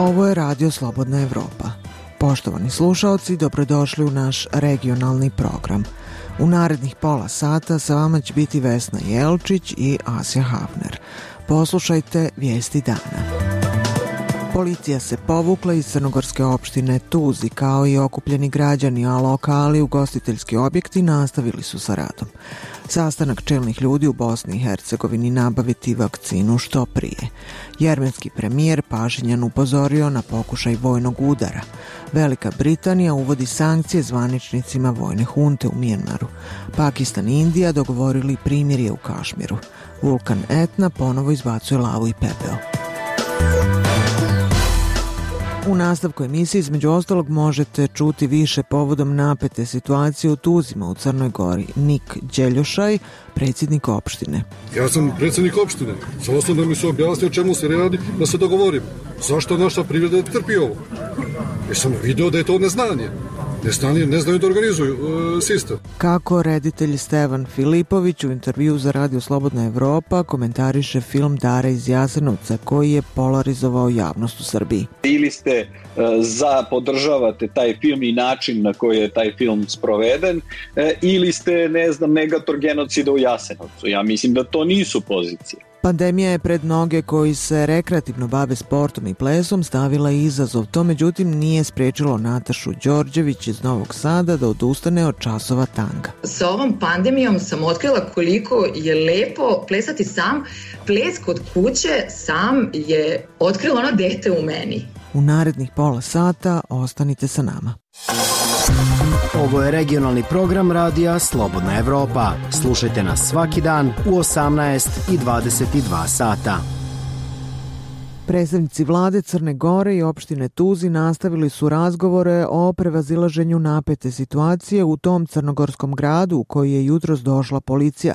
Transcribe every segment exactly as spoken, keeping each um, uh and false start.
Ovo je Radio Slobodna Evropa. Poštovani slušaoci, dobrodošli u naš regionalni program. U narednih pola sata sa vama će biti Vesna Jelčić i Asja Havner. Poslušajte vijesti dana. Policija se povukla iz crnogorske opštine Tuzi, kao i okupljeni građani, a lokali, ugostiteljski objekti nastavili su sa radom. Sastanak čelnih ljudi u Bosni i Hercegovini nabaviti vakcinu što prije. Jermenski premijer Pašinjan upozorio na pokušaj vojnog udara. Velika Britanija uvodi sankcije zvaničnicima vojne hunte u Mijenmaru. Pakistan i Indija dogovorili primirje u Kašmiru. Vulkan Etna ponovo izbacuje lavu i pepeo. U nastavku emisije između ostalog možete čuti više povodom napete situacije u Tuzima u Crnoj Gori. Nik Đeljošaj, predsjednik opštine. Ja sam predsjednik opštine. Samo sam da mi se objasni o čemu se radi, da se dogovorimo. Zašto naša privreda trpi ovo? Jer sam vidio da je to neznanje. Neznanje, ne znaju da organizuju uh, sistem. Kako reditelj Stevan Filipović u intervju za Radio Slobodna Evropa komentariše film Dara iz Jasenovca, koji je polarizovao javnost u Srbiji. Ili ste uh, za, podržavate taj film i način na koji je taj film sproveden, uh, ili ste, ne znam, negator genocida u Jasenovcu. Ja mislim da to nisu pozicije. Pandemija je pred mnoge koji se rekreativno bave sportom i plesom stavila izazov. To međutim nije spriječilo Natašu Đorđević iz Novog Sada da odustane od časova tanga. Sa ovom pandemijom sam otkrila koliko je lepo plesati sam. Ples kod kuće sam je otkrilo ono dete u meni. U narednih pola sata ostanite sa nama. Ovo je regionalni program radija Slobodna Evropa. Slušajte nas svaki dan u osamnaest i dvadeset dva sata. Predstavnici vlade Crne Gore i opštine Tuzi nastavili su razgovore o prevazilaženju napete situacije u tom crnogorskom gradu u koji je jutros došla policija,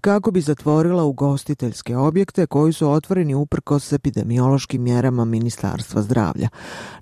kako bi zatvorila ugostiteljske objekte koji su otvoreni uprkos epidemiološkim mjerama Ministarstva zdravlja.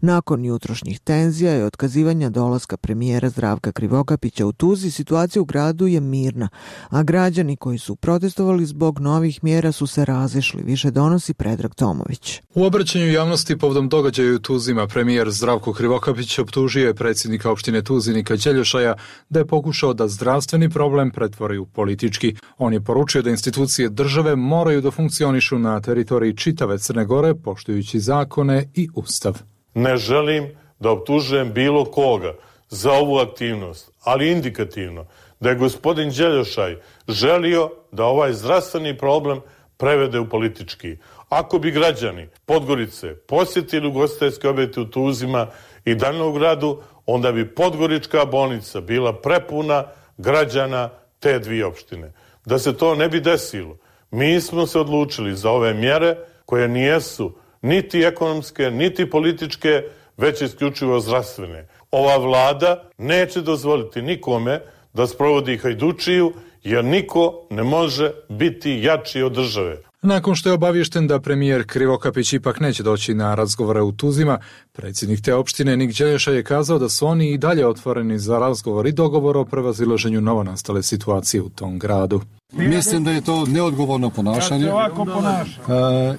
Nakon jutrošnjih tenzija i otkazivanja dolaska premijera Zdravka Krivokapića u Tuzi, situacija u gradu je mirna, a građani koji su protestovali zbog novih mjera su se razišli, više donosi Predrag Tomović. U obraćanju javnosti povodom događaja u Tuzima premijer Zdravko Krivokapić optužio je predsjednika opštine Tuzi Nika Đeljošaja da je pokušao da zdravstveni problem pretvori u politički. On je poručio da institucije države moraju da funkcionišu na teritoriji čitave Crne Gore, poštujući zakone i ustav. Ne želim da optužujem bilo koga za ovu aktivnost, ali indikativno da je gospodin Đeljošaj želio da ovaj zdravstveni problem prevede u politički. Ako bi građani Podgorice posjetili ugostiteljske objekte u Tuzima i Danilogradu, onda bi Podgorička bolnica bila prepuna građana te dvije opštine. Da se to ne bi desilo, mi smo se odlučili za ove mjere koje nijesu niti ekonomske, niti političke, već isključivo zdravstvene. Ova vlada neće dozvoliti nikome da sprovodi hajdučiju, jer niko ne može biti jači od države. Nakon što je obaviješten da premijer Krivokapić ipak neće doći na razgovore u Tuzima, predsjednik te opštine Nik Đeljošaj je kazao da su oni i dalje otvoreni za razgovor i dogovor o prevazilaženju novonastale situacije u tom gradu. Mislim da je to neodgovorno ponašanje. E,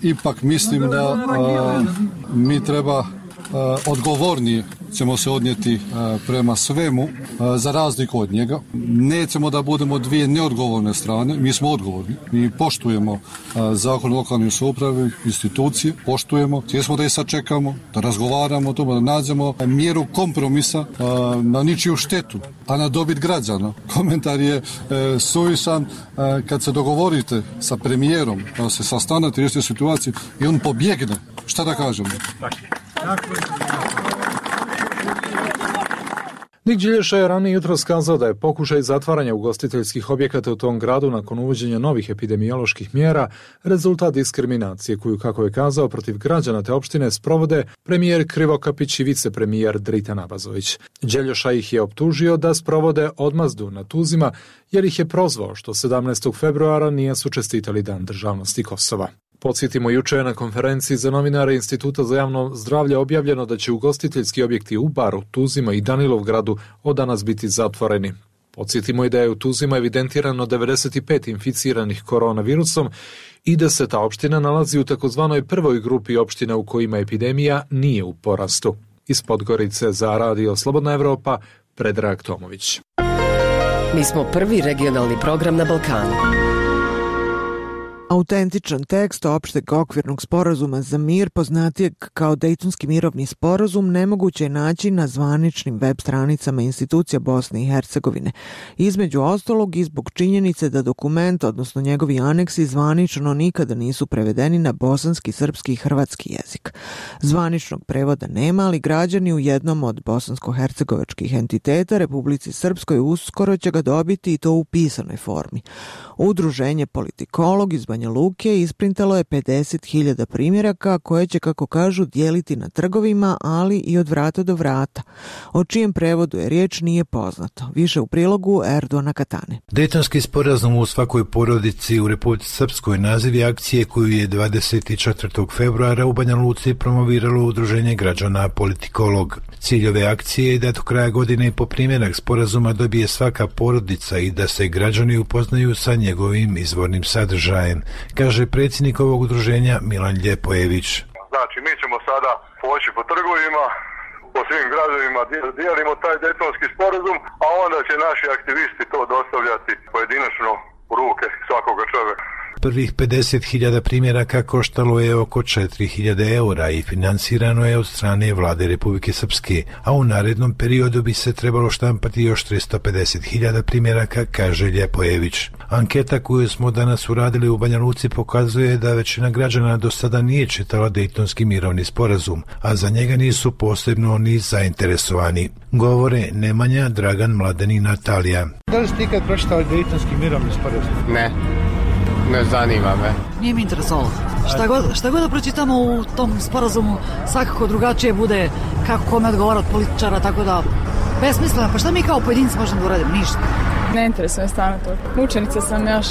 ipak mislim da e, mi treba e, odgovornije ćemo se odnijeti e, prema svemu, e, za razliku od njega. Nećemo da budemo dvije neodgovorne strane, mi smo odgovorni. Mi poštujemo e, zakon o lokalnoj samoupravi, institucije, poštujemo, htjeli da je sačekamo, da razgovaramo o tome, da nađemo mjeru kompromisa e, na ničiju štetu, a na dobit građana. Komentar je e, suvišan e, kad se dogovorite sa premijerom, da se sastanete, riješite situaciju i on pobjegne. Šta da kažemo? Nik Đeljošaj je ranije jutros kazao da je pokušaj zatvaranja ugostiteljskih objekata u tom gradu nakon uvođenja novih epidemioloških mjera rezultat diskriminacije koju, kako je kazao, protiv građana te opštine sprovode premijer Krivokapić i vicepremijer Dritan Abazović. Đeljošaj ih je optužio da sprovode odmazdu na Tuzima jer ih je prozvao što sedamnaestog februara nisu čestitali Dan državnosti Kosova. Podsjetimo, juče je na konferenciji za novinare Instituta za javno zdravlje objavljeno da će ugostiteljski objekti u Baru, Tuzima i Danilovgradu od danas biti zatvoreni. Podsjetimo i da je u Tuzima evidentirano devedeset pet inficiranih koronavirusom i da se ta opština nalazi u takozvanoj prvoj grupi opština u kojima epidemija nije u porastu. Iz Podgorice za Radio Slobodna Evropa, Predrag Tomović. Mi smo prvi regionalni program na Balkanu. Autentičan tekst opšteg okvirnog sporazuma za mir, poznatijeg kao Dejtonski mirovni sporazum, nemoguće je naći na zvaničnim web stranicama institucija Bosne i Hercegovine. Između ostalog i zbog činjenice da dokument, odnosno njegovi aneksi, zvanično nikada nisu prevedeni na bosanski, srpski i hrvatski jezik. Zvaničnog prevoda nema, ali građani u jednom od bosansko-hercegovačkih entiteta, Republici Srpskoj, uskoro će ga dobiti i to u pisanoj formi. Udruženje Politikolog iz Banja Luke isprintalo je pedeset hiljada primjeraka koje će, kako kažu, dijeliti na trgovima, ali i od vrata do vrata. O čijem prevodu je riječ nije poznato. Više u prilogu Erdona Katane. Dejtonski sporazum u svakoj porodici u Republici Srpskoj naziv je akcije koju je dvadeset četvrtog februara u Banja Luci promoviralo Udruženje građana Politikolog. Cilj ove akcije je da do kraja godine po primjerak sporazuma dobije svaka porodica i da se građani upoznaju sa njegovim izvornim sadržajem, kaže predsjednik ovog udruženja Milan Ljepojević. Znači, mi ćemo sada poći po trgovima, po svim gradovima, dijelimo taj Dejtonski sporazum, a onda će naši aktivisti to dostavljati pojedinačno u ruke svakoga čovjeka. Prvih pedeset hiljada primjeraka koštalo je oko četiri hiljade eura i financirano je od strane vlade Republike Srpske, a u narednom periodu bi se trebalo štampati još tristo pedeset hiljada primjeraka, kaže Ljepojević. Anketa koju smo danas uradili u Banja Luci pokazuje da većina građana do sada nije čitala Dejtonski mirovni sporazum, a za njega nisu posebno ni zainteresovani. Govore Nemanja, Dragan, Mladen i Natalija. Da li ste ikad pročitali Dejtonski mirovni sporazum? Ne. Ne zanima me. Nije mi interesovalo. Šta god, šta god da pročitamo u tom sporazumu, svakako drugačije bude kako kome odgovara od političara, tako da besmisleno. Pa šta mi kao pojedinci možemo da uradimo? Ništa. Ne interesuje stvarno to. Učenica sam još,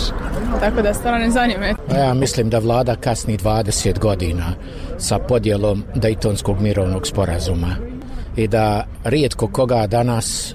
tako da stvarno ne zanima. Ja mislim da vlada kasni dvadeset godina sa podjelom Dejtonskog mirovnog sporazuma i da rijetko koga danas,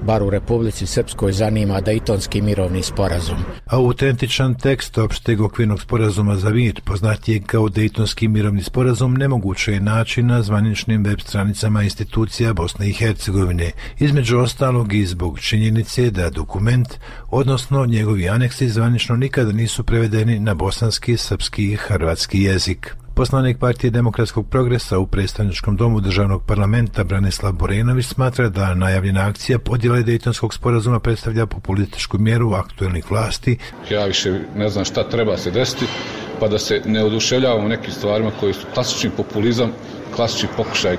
bar u Republici Srpskoj, zanima Dejtonski mirovni sporazum. Autentičan tekst opšteg okvirnog sporazuma za mir, poznatijeg kao Dejtonski mirovni sporazum, nemoguće je naći na zvaničnim web stranicama institucija Bosne i Hercegovine, između ostalog i zbog činjenice da dokument, odnosno njegovi aneksi, zvanično nikada nisu prevedeni na bosanski, srpski i hrvatski jezik. Poslanik Partije demokratskog progresa u predstavničkom domu državnog parlamenta Branislav Borenović smatra da najavljena akcija podjele Dejtonskog sporazuma predstavlja populističku mjeru aktuelnih vlasti. Ja više ne znam šta treba se desiti, pa da se ne oduševljavamo nekim stvarima koji su klasični populizam, klasični pokušaj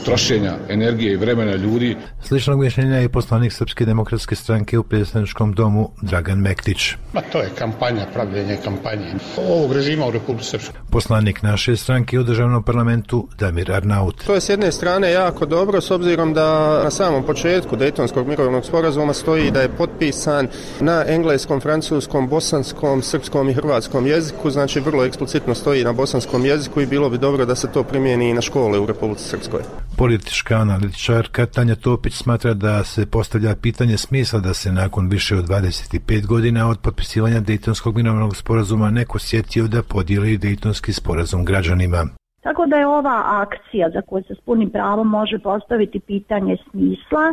trošenja energije i vremena ljudi. Sličnog mišljenja je poslanik Srpske demokratske stranke u predstavničkom domu Dragan Mektić. Ma to je kampanja, pravljenje kampanje ovog režima u Republici Srpskoj. Poslanik naše stranke u državnom parlamentu Damir Arnaut. To je s jedne strane jako dobro, s obzirom da na samom početku Dejtonskog mirovnog sporazuma stoji da je potpisan na engleskom, francuskom, bosanskom, srpskom i hrvatskom jeziku, znači vrlo eksplicitno stoji na bosanskom jeziku i bilo bi dobro da se to primijeni i na škole u Republici Srpskoj. Politička analitičarka Tanja Topić smatra da se postavlja pitanje smisla da se nakon više od dvadeset pet godina od potpisivanja Dejtonskog mirovnog sporazuma neko sjetio da podijeli Dejtonski sporazum građanima. Tako da je ova akcija za koju se s punim pravom može postaviti pitanje smisla,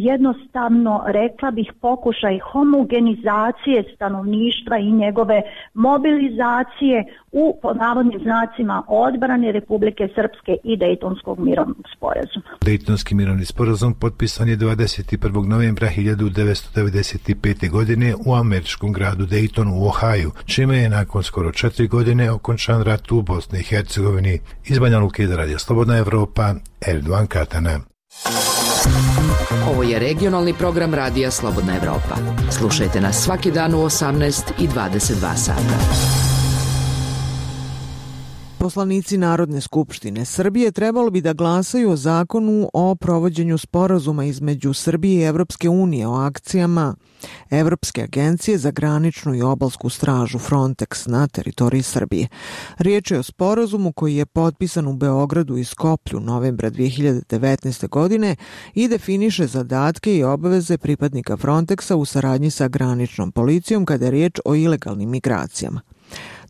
jednostavno rekla bih pokušaj homogenizacije stanovništva i njegove mobilizacije u, po navodnim znacima, odbrane Republike Srpske i Dejtonskog mirovnog sporazuma. Dejtonski mirovni sporazum potpisan je dvadeset prvog novembra hiljadu devetsto devedeset pete. godine u američkom gradu Dejtonu u Ohaju, čime je nakon skoro četiri godine okončan rat u Bosni i Hercegovini. Iz Banja Luke za Radio Slobodna Evropa, Erdogan Katana. Ovo je regionalni program Radija Slobodna Evropa. Slušajte nas svaki dan u osamnaest i dvadeset dva sata. Poslanici Narodne skupštine Srbije trebalo bi da glasaju o zakonu o provođenju sporazuma između Srbije i Evropske unije o akcijama Evropske agencije za graničnu i obalsku stražu Frontex na teritoriji Srbije. Riječ je o sporazumu koji je potpisan u Beogradu i Skoplju novembra dvije hiljade devetnaeste. godine i definiše zadatke i obaveze pripadnika Frontexa u saradnji sa graničnom policijom kada je riječ o ilegalnim migracijama.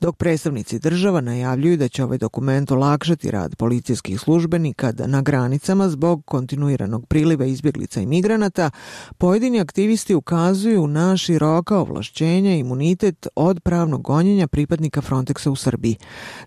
Dok predstavnici država najavljuju da će ovaj dokument olakšati rad policijskih službenika na granicama zbog kontinuiranog priliva izbjeglica i migranata, pojedini aktivisti ukazuju na široka ovlašćenja i imunitet od pravnog gonjenja pripadnika Frontexa u Srbiji.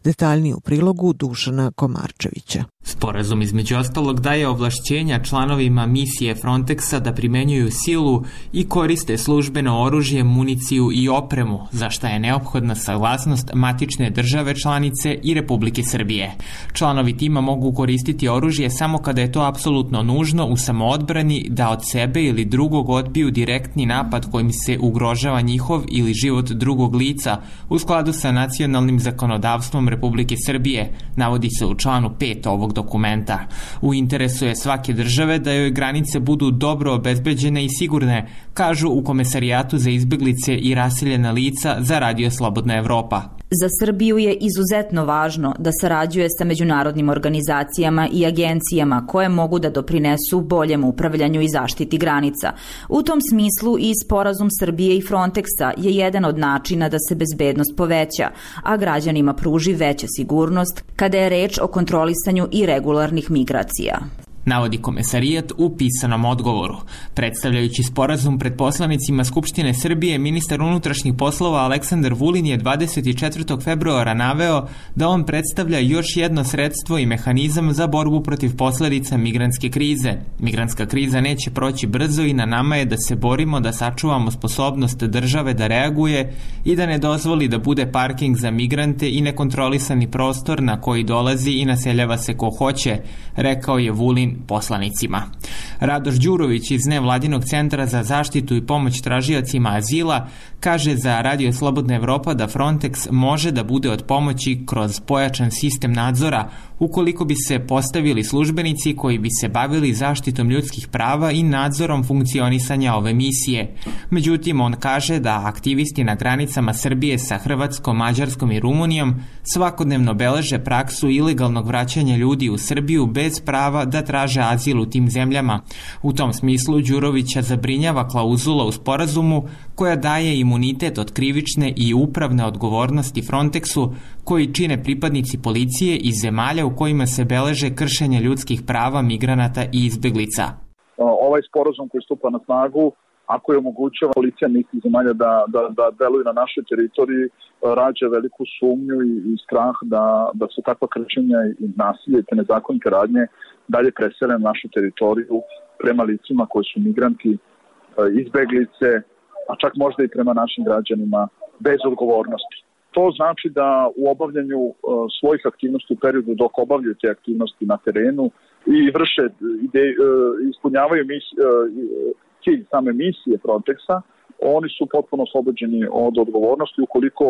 Detaljnije u prilogu Dušana Komarčevića. Sporazum između ostalog daje ovlašćenja članovima misije Frontexa da primenjuju silu i koriste službeno oružje, municiju i opremu, za šta je neophodna saglasnost matične države članice i Republike Srbije. Članovi tima mogu koristiti oružje samo kada je to apsolutno nužno u samoodbrani da od sebe ili drugog odbiju direktni napad kojim se ugrožava njihov ili život drugog lica u skladu sa nacionalnim zakonodavstvom Republike Srbije, navodi se u članu pet ovog dokumenta. U interesu je svake države da joj granice budu dobro obezbeđene i sigurne, kažu u Komesarijatu za izbjeglice i raseljena lica za Radio Slobodna Evropa. Za Srbiju je izuzetno važno da sarađuje sa međunarodnim organizacijama i agencijama koje mogu da doprinesu boljem upravljanju i zaštiti granica. U tom smislu i sporazum Srbije i Frontexa je jedan od načina da se bezbednost poveća, a građanima pruži veća sigurnost kada je reč o kontrolisanju irregularnih migracija, navodi Komesarijat u pisanom odgovoru. Predstavljajući sporazum pred poslanicima Skupštine Srbije, ministar unutrašnjih poslova Aleksandar Vulin je dvadeset četvrtog februara naveo da on predstavlja još jedno sredstvo i mehanizam za borbu protiv posledica migrantske krize. Migrantska kriza neće proći brzo i na nama je da se borimo da sačuvamo sposobnost države da reaguje i da ne dozvoli da bude parking za migrante i nekontrolisani prostor na koji dolazi i naseljava se ko hoće, rekao je Vulin poslanicima. Radoš Đurović iz Nevladinog centra za zaštitu i pomoć tražiocima azila kaže za Radio Slobodna Evropa da Frontex može da bude od pomoći kroz pojačan sistem nadzora ukoliko bi se postavili službenici koji bi se bavili zaštitom ljudskih prava i nadzorom funkcionisanja ove misije. Međutim, on kaže da aktivisti na granicama Srbije sa Hrvatskom, Mađarskom i Rumunijom svakodnevno beleže praksu ilegalnog vraćanja ljudi u Srbiju bez prava da traže azil u tim zemljama. U tom smislu Đurovića zabrinjava klauzula u sporazumu koja daje imunitet od krivične i upravne odgovornosti Frontexu koji čine pripadnici policije iz zemalja u kojima se beleže kršenje ljudskih prava migranata i izbjeglica. Ovaj sporazum koji stupa na snagu, ako je omogućava policija nekih zemalja da, da, da deluju na našoj teritoriji, rađa veliku sumnju i, i strah da, da su takva kršenja i nasilje i te nezakonite radnje dalje presele na našu teritoriju prema licima koji su migranti, izbeglice, a čak možda i prema našim građanima bez odgovornosti. To znači da u obavljanju uh, svojih aktivnosti u periodu dok obavljaju te aktivnosti na terenu i vrše, ide, uh, ispunjavaju mis, uh, cilj same misije Frontexa, oni su potpuno oslobođeni od odgovornosti ukoliko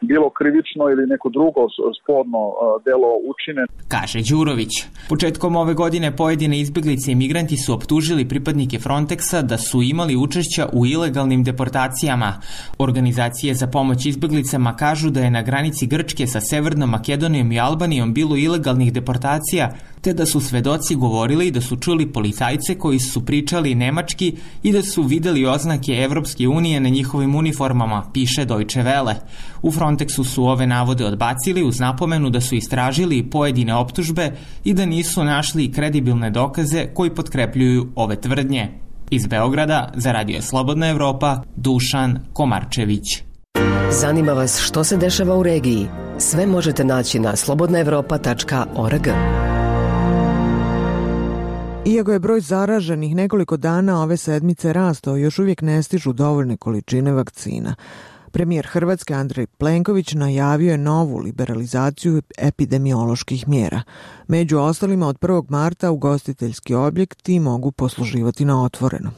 bilo krivično ili neko drugo sporno delo učine. Kaže Đurović. Početkom ove godine pojedine izbjeglice i migranti su optužili pripadnike Frontexa da su imali učešća u ilegalnim deportacijama. Organizacije za pomoć izbjeglicama kažu da je na granici Grčke sa Severnom Makedonijom i Albanijom bilo ilegalnih deportacija, te da su svedoci govorili da su čuli policajce koji su pričali nemački i da su videli oznake Evropske unije na njihovim uniformama, piše Deutsche Welle. U Frontexu su ove navode odbacili uz napomenu da su istražili pojedine optužbe i da nisu našli kredibilne dokaze koji potkrepljuju ove tvrdnje. Iz Beograda za Radio Slobodna Evropa, Dušan Komarčević. Zanima vas što se dešava u regiji? Sve možete naći na slobodna evropa tačka org. Iako je broj zaraženih nekoliko dana ove sedmice rastao, još uvijek ne stižu dovoljne količine vakcina. Premijer Hrvatske Andrej Plenković najavio je novu liberalizaciju epidemioloških mjera. Među ostalima od prvog marta ugostiteljski objekti mogu posluživati na otvoreno.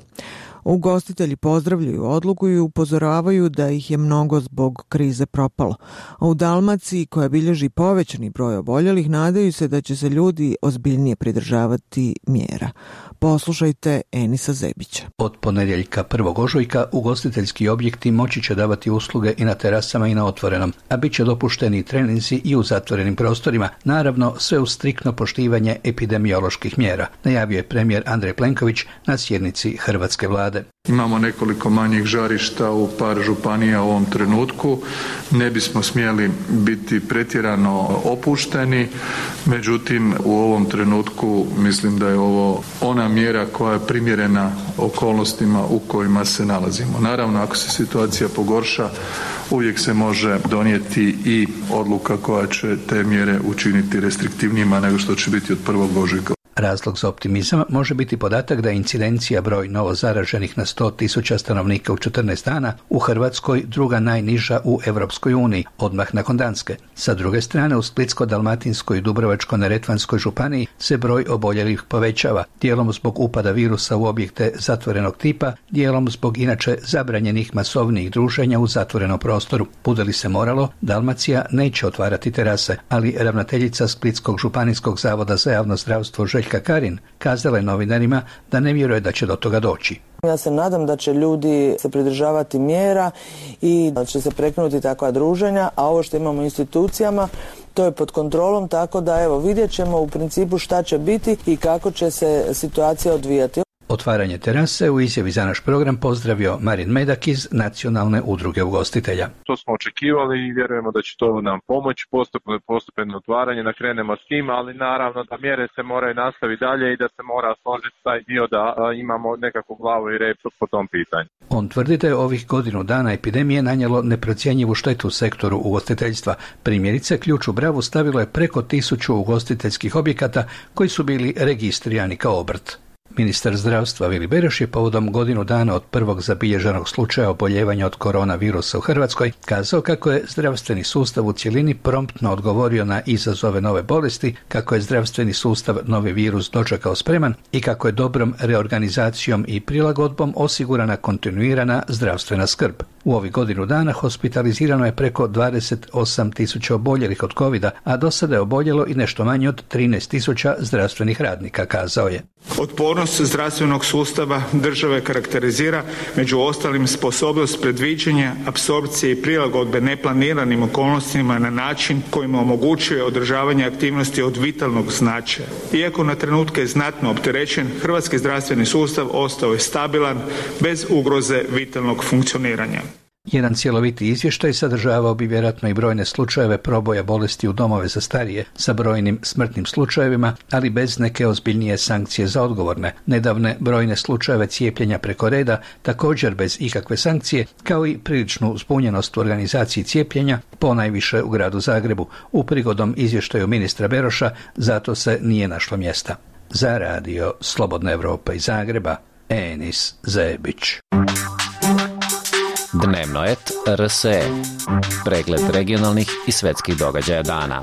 Ugostitelji pozdravljaju odluku i upozoravaju da ih je mnogo zbog krize propalo. A u Dalmaciji, koja bilježi povećani broj oboljelih, nadaju se da će se ljudi ozbiljnije pridržavati mjera. Poslušajte Enisa Zebića. Od ponedjeljka prvog ožujka ugostiteljski objekti moći će davati usluge i na terasama i na otvorenom, a bit će dopušteni treninzi i u zatvorenim prostorima, naravno sve uz striktno poštivanje epidemioloških mjera, najavio je premijer Andrej Plenković na sjednici hrvatske vlade. Imamo nekoliko manjih žarišta u par županija u ovom trenutku. Ne bismo smjeli biti pretjerano opušteni, međutim u ovom trenutku mislim da je ovo ona mjera koja je primjerena okolnostima u kojima se nalazimo. Naravno, ako se situacija pogorša, uvijek se može donijeti i odluka koja će te mjere učiniti restriktivnijima nego što će biti od prvog ožujka. Razlog za optimizam može biti podatak da je incidencija broj novo zaraženih na sto tisuća stanovnika u četrnaest dana u Hrvatskoj druga najniža u Europskoj uniji, odmah nakon Danske. Sa druge strane, u Splitsko-dalmatinskoj i Dubrovačko-neretvanskoj županiji se broj oboljelih povećava, dijelom zbog upada virusa u objekte zatvorenog tipa, dijelom zbog inače zabranjenih masovnijih druženja u zatvorenom prostoru. Bude li se moralo, Dalmacija neće otvarati terase, ali ravnateljica Splitskog županijskog zavoda za javno zdravstvo Željka Karin kazala je novinarima da ne vjeruje da će do toga doći. Ja se nadam da će ljudi se pridržavati mjera i da će se prekinuti takva druženja, a ovo što imamo u institucijama, to je pod kontrolom, tako da evo vidjet ćemo u principu šta će biti i kako će se situacija odvijati. Otvaranje terase u izjavi za naš program pozdravio Marin Medak iz Nacionalne udruge ugostitelja. To smo očekivali i vjerujemo da će to nam pomoći, postupno, postupno otvaranje, da krenemo s tim, ali naravno da mjere se moraju nastaviti dalje i da se mora složiti taj dio da a, imamo nekakvu glavu i rep po tom pitanju. On tvrdi da je ovih godinu dana epidemije nanijelo neprocjenjivu štetu u sektoru ugostiteljstva. Primjerice, ključ u bravu stavilo je preko tisuću ugostiteljskih objekata koji su bili registrirani kao obrt. Ministar zdravstva Vili Beroš je povodom godinu dana od prvog zabilježenog slučaja oboljevanja od koronavirusa u Hrvatskoj kazao kako je zdravstveni sustav u cjelini promptno odgovorio na izazove nove bolesti, kako je zdravstveni sustav novi virus dočekao spreman i kako je dobrom reorganizacijom i prilagodbom osigurana kontinuirana zdravstvena skrb. U ovih godinu dana hospitalizirano je preko dvadeset osam tisuća oboljelih od covida, a do sada je oboljelo i nešto manje od trinaest tisuća zdravstvenih radnika, kazao je. Otpornost zdravstvenog sustava države karakterizira među ostalim sposobnost predviđanja, apsorpcije i prilagodbe neplaniranim okolnostima na način kojim omogućuje održavanje aktivnosti od vitalnog značaja. Iako na trenutke znatno opterećen, hrvatski zdravstveni sustav ostao je stabilan bez ugroze vitalnog funkcioniranja. Jedan cjeloviti izvještaj sadržavao bi vjerojatno i brojne slučajeve proboja bolesti u domove za starije sa brojnim smrtnim slučajevima, ali bez neke ozbiljnije sankcije za odgovorne. Nedavne brojne slučajeve cijepljenja preko reda, također bez ikakve sankcije, kao i priličnu zbunjenost u organizaciji cijepljenja, ponajviše u gradu Zagrebu. U prigodom izvještaju ministra Beroša zato se nije našlo mjesta. Za radio Slobodna Evropa iz Zagreba, Enis Zebić. Dnevno et R S E. Pregled regionalnih i svetskih događaja dana.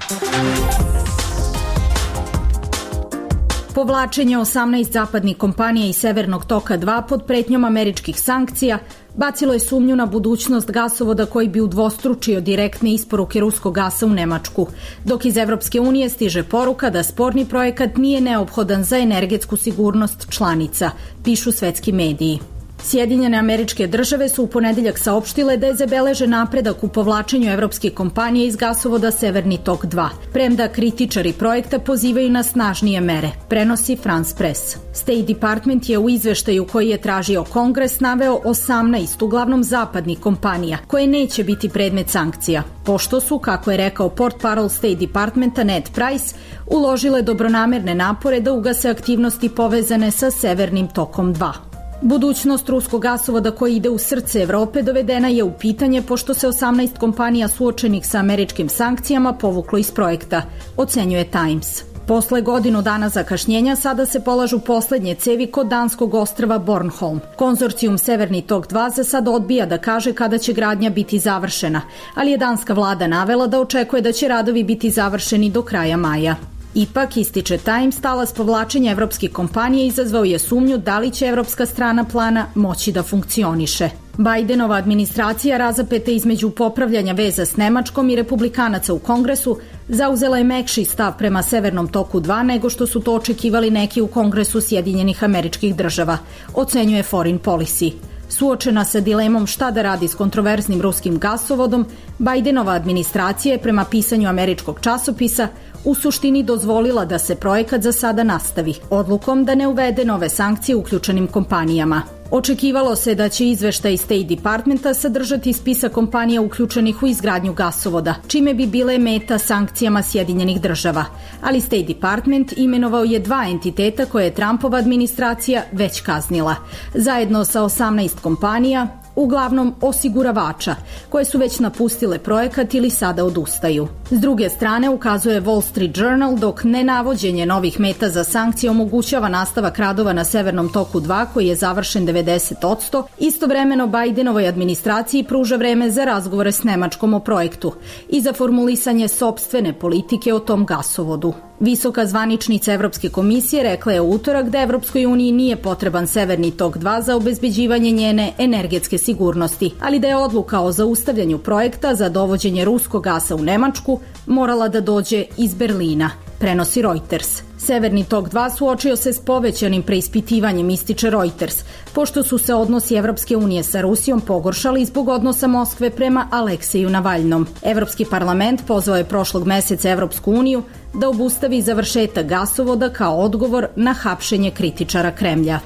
Povlačenje osamnaest zapadnih kompanija iz Severnog toka dva pod pretnjom američkih sankcija bacilo je sumnju na budućnost gasovoda koji bi udvostručio direktne isporuke ruskog gasa u Nemačku, dok iz Evropske unije stiže poruka da sporni projekat nije neophodan za energetsku sigurnost članica, pišu svetski mediji. Sjedinjene Američke Države su u ponedjeljak saopštile da je zabeležen napredak u povlačenju evropskih kompanija iz gasovoda Severni tok dva, premda kritičari projekta pozivaju na snažnije mere, prenosi France Press. State Department je u izveštaju koji je tražio Kongres naveo osamnaest uglavnom zapadnih kompanija koje neće biti predmet sankcija, pošto su, kako je rekao portparol State Departmenta Ned Price, uložile dobronamerne napore da ugase aktivnosti povezane sa Severnim tokom dva. Budućnost ruskog gasovoda koji ide u srce Evrope dovedena je u pitanje pošto se osamnaest kompanija suočenih sa američkim sankcijama povuklo iz projekta, ocenjuje Times. Posle godinu dana zakašnjenja sada se polažu poslednje cevi kod danskog ostrva Bornholm. Konzorcijum Severni tok dva za sad odbija da kaže kada će gradnja biti završena, ali je danska vlada navela da očekuje da će radovi biti završeni do kraja maja. Ipak, ističe Times, talas povlačenja evropskih kompanija izazvao je sumnju da li će evropska strana plana moći da funkcioniše. Bidenova administracija, razapeta između popravljanja veza s Nemačkom i republikanaca u Kongresu, zauzela je mekši stav prema Severnom toku dva nego što su to očekivali neki u Kongresu Sjedinjenih Američkih Država, ocenjuje Foreign Policy. Suočena sa dilemom šta da radi s kontroverznim ruskim gasovodom, Bidenova administracija je prema pisanju američkog časopisa u suštini dozvolila da se projekat za sada nastavi, odlukom da ne uvede nove sankcije uključenim kompanijama. Očekivalo se da će izveštaj State Departmenta sadržati spisak kompanija uključenih u izgradnju gasovoda, čime bi bile meta sankcijama Sjedinjenih Država. Ali State Department imenovao je dva entiteta koje je Trumpova administracija već kaznila. Zajedno sa osamnaest kompanija, uglavnom osiguravača, koje su već napustile projekat ili sada odustaju. S druge strane, ukazuje Wall Street Journal, dok nenavođenje novih meta za sankcije omogućava nastavak radova na Severnom toku dva, koji je završen devedeset posto, istovremeno Bidenovoj administraciji pruža vreme za razgovore s Nemačkom o projektu i za formulisanje sopstvene politike o tom gasovodu. Visoka zvaničnica Evropske komisije rekla je u utorak da Evropskoj uniji nije potreban Severni tok dva za obezbeđivanje njene energetske sigurnosti, ali da je odluka o zaustavljanju projekta za dovođenje ruskog gasa u Nemačku morala da dođe iz Berlina, prenosi Reuters. Severni tok dva suočio se s povećanim preispitivanjem, ističe Reuters, pošto su se odnosi Evropske unije sa Rusijom pogoršali zbog odnosa Moskve prema Alekseju Navalnom. Evropski parlament pozvao je prošlog meseca Evropsku uniju da obustavi završetak gasovoda kao odgovor na hapšenje kritičara Kremlja.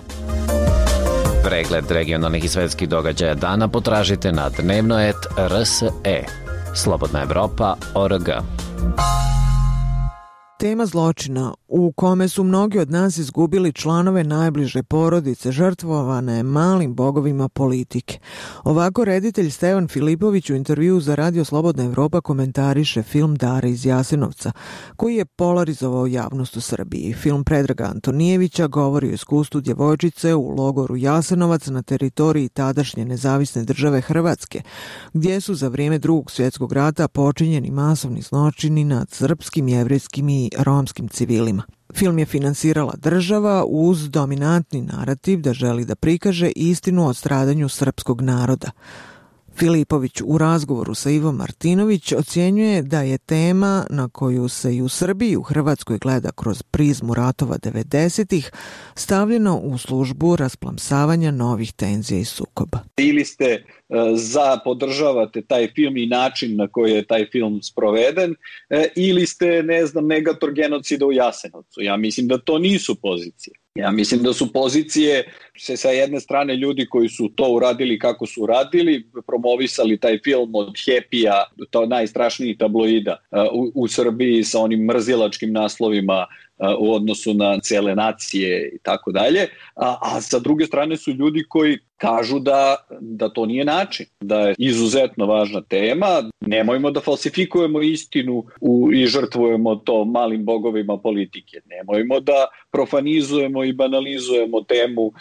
Pregled regionalnih i svetskih događaja dana potražite na dnevnoet R S E. Slobodna Evropa O R G. Tema zločina u kome su mnogi od nas izgubili članove najbliže porodice žrtvovane malim bogovima politike. Ovako reditelj Stevan Filipović u intervjuu za Radio Slobodna Evropa komentariše film Dara iz Jasenovca, koji je polarizovao javnost u Srbiji. Film Predraga Antonijevića govori o iskustvu djevojčice u logoru Jasenovac na teritoriji tadašnje nezavisne države Hrvatske, gdje su za vrijeme Drugog svjetskog rata počinjeni masovni zločini nad srpskim, jevrejskim i romskim civilima. Film je finansirala država uz dominantni narativ da želi da prikaže istinu o stradanju srpskog naroda. Filipović u razgovoru sa Ivom Martinović ocjenjuje da je tema na koju se i u Srbiji i u Hrvatskoj gleda kroz prizmu ratova devedesetih stavljeno u službu rasplamsavanja novih tenzija i sukoba. Ili ste za podržavate taj film i način na koji je taj film sproveden, ili ste, ne znam, negator genocida u Jasenovcu. Ja mislim da to nisu pozicije. Ja mislim da su pozicije se sa jedne strane ljudi koji su to uradili kako su uradili, promovisali taj film od Happy-a, to najstrašnijih tabloida u, u Srbiji sa onim mrzilačkim naslovima u odnosu na cele nacije i tako dalje, a, a sa druge strane su ljudi koji kažu da, da to nije način, da je izuzetno važna tema, nemojmo da falsifikujemo istinu u, i žrtvujemo to malim bogovima politike, nemojmo da profanizujemo i banalizujemo temu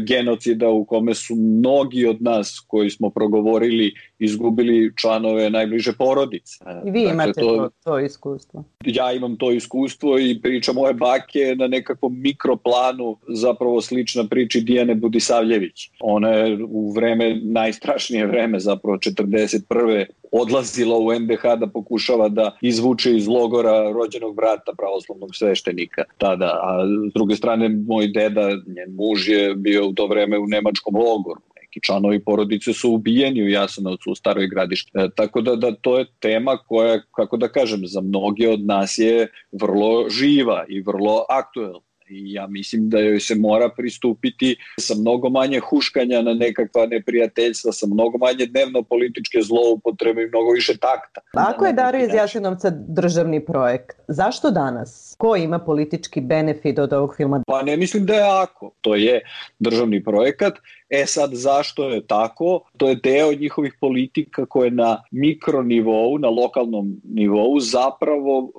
genocida u kome su mnogi od nas koji smo progovorili izgubili članove najbliže porodice. I vi imate dakle, to, to iskustvo. Ja imam to iskustvo i priča moje bake na nekakvom mikroplanu zapravo slična priči Dijane Budisavljević. Ona je u vreme, najstrašnije vreme, zapravo četrdeset prve odlazila u N D H da pokušava da izvuče iz logora rođenog brata pravoslavnog sveštenika tada. A s druge strane, moj deda, njen muž je bio u to vreme u nemačkom logoru. Neki članovi porodice su ubijeni u Jasenovcu, u Staroj Gradiški. E, tako da, da to je tema koja, kako da kažem, za mnoge od nas je vrlo živa i vrlo aktuelna. I ja mislim da joj se mora pristupiti sa mnogo manje huškanja na nekakva neprijateljstva, sa mnogo manje dnevno političke zloupotrebe i mnogo više takta. Ako je Dara iz Jasenovca državni projekt, zašto danas? Ko ima politički benefit od ovog filma? Pa ne mislim da je ako. To je državni projekat. E sad, zašto je tako? To je deo njihovih politika koje na mikronivou, na lokalnom nivou zapravo uh,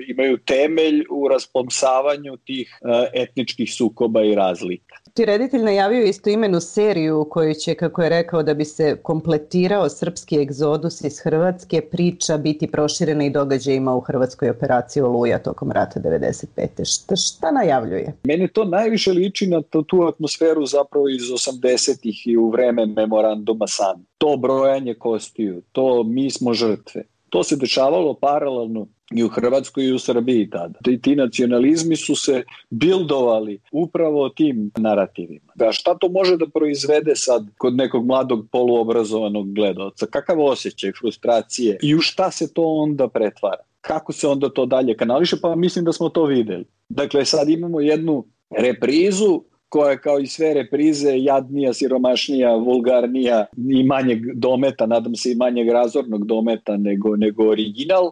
imaju temelj u rasplamsavanju tih uh, etničkih sukoba i razlika. Ti reditelj najavio istoimenu seriju u kojoj će, kako je rekao, da bi se kompletirao srpski egzodus iz Hrvatske, priča biti proširena i događajima u Hrvatskoj operaciji Oluja tokom rata devedeset pete. Šta, šta najavljuje? Meni to najviše liči na tu, tu atmosferu zapravo iz osamdesetih i u vreme memoranduma San. To brojanje kostiju, to mi smo žrtve. To se dešavalo paralelno i u Hrvatskoj i u Srbiji tada. Ti, ti nacionalizmi su se bildovali upravo tim narativima. A šta to može da proizvede sad kod nekog mladog poluobrazovanog gledaoca? Kakav osjećaj frustracije i u šta se to onda pretvara? Kako se onda to dalje kanališe? Pa mislim da smo to videli. Dakle, sad imamo jednu reprizu koja je kao i sve reprize jadnija, siromašnija, vulgarnija i manjeg dometa, nadam se i manjeg razornog dometa nego, nego original,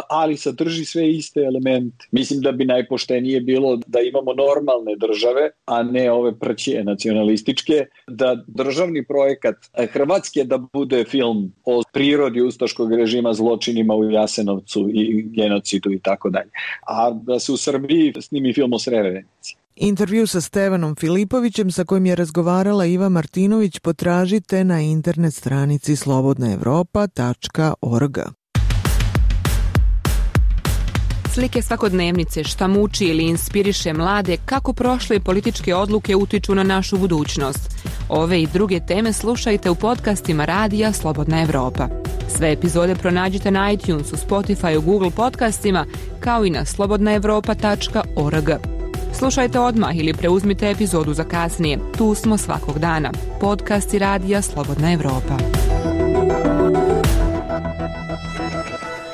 ali sadrži sve iste elemente. Mislim da bi najpoštenije bilo da imamo normalne države, a ne ove prćije nacionalističke, da državni projekat Hrvatske da bude film o prirodi ustaškog režima, zločinima u Jasenovcu i genocidu i tako dalje. A da se u Srbiji snimi film o Srebrenici. Intervju sa Stevanom Filipovićem sa kojim je razgovarala Iva Martinović potražite na internet stranici slobodna evropa tačka org. Slike svakodnevnice, šta muči ili inspiriše mlade, kako prošle političke odluke utiču na našu budućnost. Ove i druge teme slušajte u podcastima radija Slobodna Evropa. Sve epizode pronađite na iTunesu, Spotify, Google podcastima, kao i na slobodna evropa tačka org. Slušajte odmah ili preuzmite epizodu za kasnije. Tu smo svakog dana. Podcasti radija Slobodna Evropa.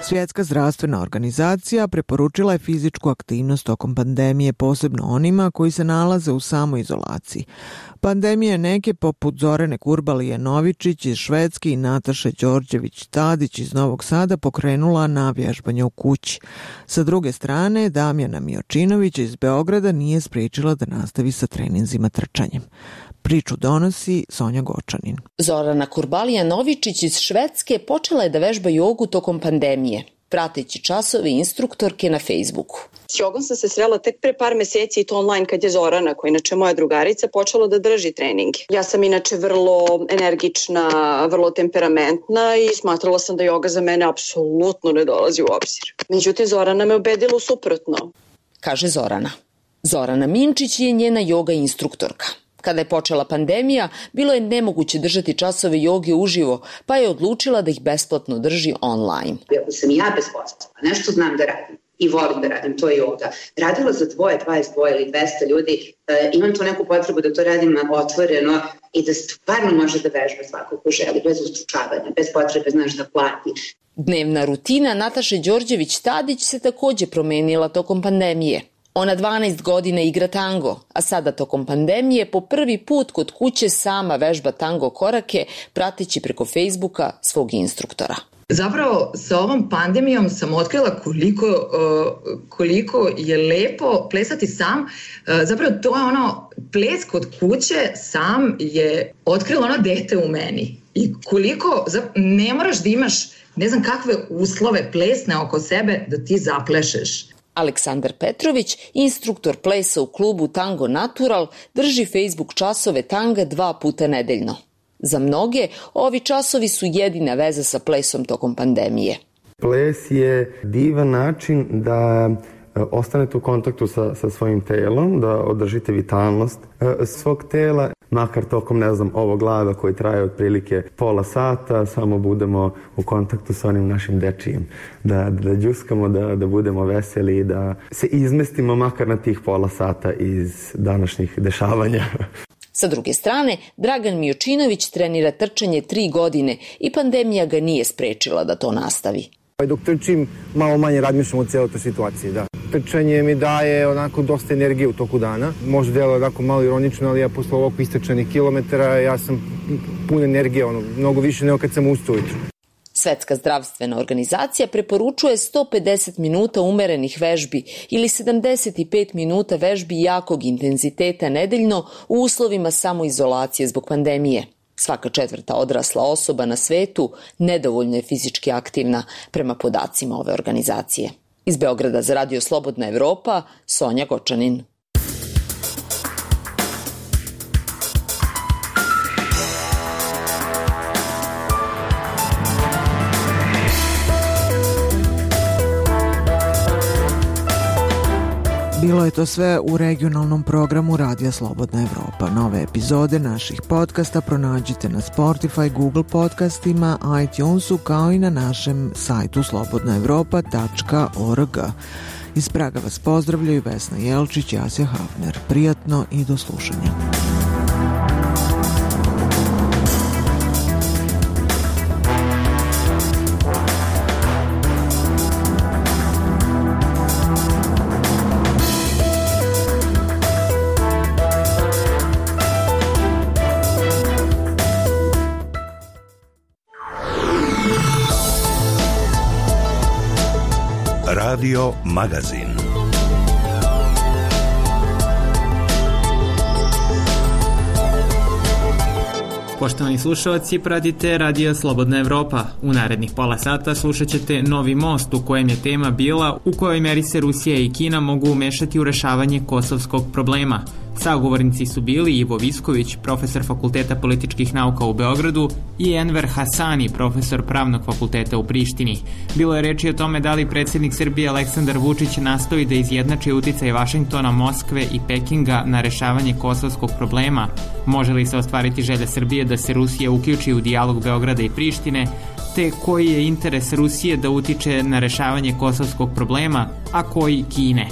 Svjetska zdravstvena organizacija preporučila je fizičku aktivnost tokom pandemije, posebno onima koji se nalaze u samoizolaciji. Pandemija neke poput Zorane Kurbalije Novičić iz Švedske i Nataše Đorđević-Tadić iz Novog Sada pokrenula na vježbanje u kući. Sa druge strane, Damjana Miočinović iz Beograda nije spriječila da nastavi sa treninzima trčanjem. Priču donosi Sonja Gočanin. Zorana Kurbalija Novičić iz Švedske počela je da vežba jogu tokom pandemije, prateći časove instruktorke na Facebooku. S jogom sam se srela tek pre par meseci i to online kad je Zorana, koja inače moja drugarica, počela da drži treninge. Ja sam inače vrlo energična, vrlo temperamentna i smatrala sam da joga za mene apsolutno ne dolazi u obzir. Međutim, Zorana me ubedila u suprotno. Kaže Zorana. Zorana Minčić je njena joga instruktorka. Kada je počela pandemija, bilo je nemoguće držati časove joge uživo, pa je odlučila da ih besplatno drži online. Ako sam ja bez posla, nešto znam da radim i volim da radim, to je joga. Radila za dvoje, dvadeset dva ili dvesta ljudi, e, imam tu neku potrebu da to radim otvoreno i da stvarno može da vežba svako ko želi, bez ustručavanja, bez potrebe, znaš, da plati. Dnevna rutina Nataše Đorđević-Tadić se takođe promenila tokom pandemije. Ona dvanaest godina igra tango, a sada tokom pandemije po prvi put kod kuće sama vežba tango korake, prateći preko Facebooka svog instruktora. Zapravo sa ovom pandemijom sam otkrila koliko, uh, koliko je lepo plesati sam. Uh, zapravo to je ono, ples kod kuće sam je otkrilo ono dete u meni. I koliko, ne moraš da imaš ne znam kakve uslove plesne oko sebe da ti zaplešeš. Aleksandar Petrović, instruktor plesa u klubu Tango Natural, drži Facebook časove tanga dva puta nedeljno. Za mnoge, ovi časovi su jedina veza sa plesom tokom pandemije. Ples je divan način da ostanete u kontaktu sa, sa svojim telom, da održite vitalnost svog tela, makar tokom, ne znam, ovog lava koji traje otprilike pola sata, samo budemo u kontaktu sa onim našim dečijim. Da, da džuskamo, da, da budemo veseli, da se izmestimo makar na tih pola sata iz današnjih dešavanja. Sa druge strane, Dragan Miočinović trenira trčanje tri godine i pandemija ga nije sprečila da to nastavi. Dok trčim, malo manje razmišljam o cijeloj toj situaciji, da. Trčanje mi daje onako dosta energije u toku dana. Možda delo onako malo ironično, ali ja posle ovog istrčanih kilometara, ja sam pun energije, ono, mnogo više nego kad sam ustao ujutru. Svetska zdravstvena organizacija preporučuje sto pedeset minuta umerenih vežbi ili sedamdeset pet minuta vežbi jakog intenziteta nedeljno u uslovima samoizolacije zbog pandemije. Svaka četvrta odrasla osoba na svetu nedovoljno je fizički aktivna prema podacima ove organizacije. Iz Beograda za Radio Slobodna Evropa, Sonja Gočanin. Bilo je to sve u regionalnom programu Radija Slobodna Evropa. Nove epizode naših podcasta pronađite na Spotify, Google podcastima, iTunesu kao i na našem sajtu slobodna evropa tačka org. Iz Praga vas pozdravljaju Vesna Jelčić i Asja Hafner. Prijatno i do slušanja. Radio Magazin. Poštovani slušalci, pratite Radio Slobodna Evropa. U narednih pola sata slušat ćete Novi most, u kojem je tema bila u kojoj meri se Rusija i Kina mogu umešati u rešavanje kosovskog problema. Sagovornici su bili Ivo Visković, profesor Fakulteta političkih nauka u Beogradu, i Enver Hasani, profesor Pravnog fakulteta u Prištini. Bilo je reči o tome da li predsjednik Srbije Aleksandar Vučić nastoji da izjednači uticaj Vašingtona, Moskve i Pekinga na rešavanje kosovskog problema. Može li se ostvariti želja Srbije da se Rusija uključi u dijalog Beograda i Prištine, te koji je interes Rusije da utiče na rešavanje kosovskog problema, a koji Kine.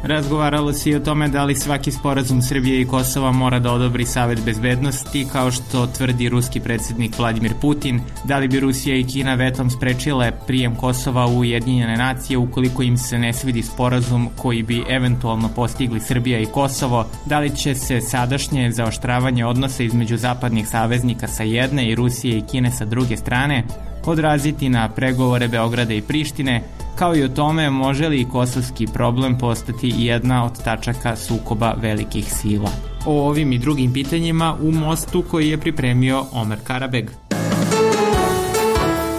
Razgovaralo se i o tome da li svaki sporazum Srbije i Kosova mora da odobri Savet bezbednosti, kao što tvrdi ruski predsjednik Vladimir Putin, da li bi Rusija i Kina vetom sprečile prijem Kosova u Ujedinjene nacije ukoliko im se ne svidi sporazum koji bi eventualno postigli Srbija i Kosovo, da li će se sadašnje zaoštravanje odnosa između zapadnih saveznika sa jedne i Rusije i Kine sa druge strane odraziti na pregovore Beograda i Prištine, kao i o tome može li kosovski problem postati jedna od tačaka sukoba velikih sila. O ovim i drugim pitanjima u mostu koji je pripremio Omer Karabeg.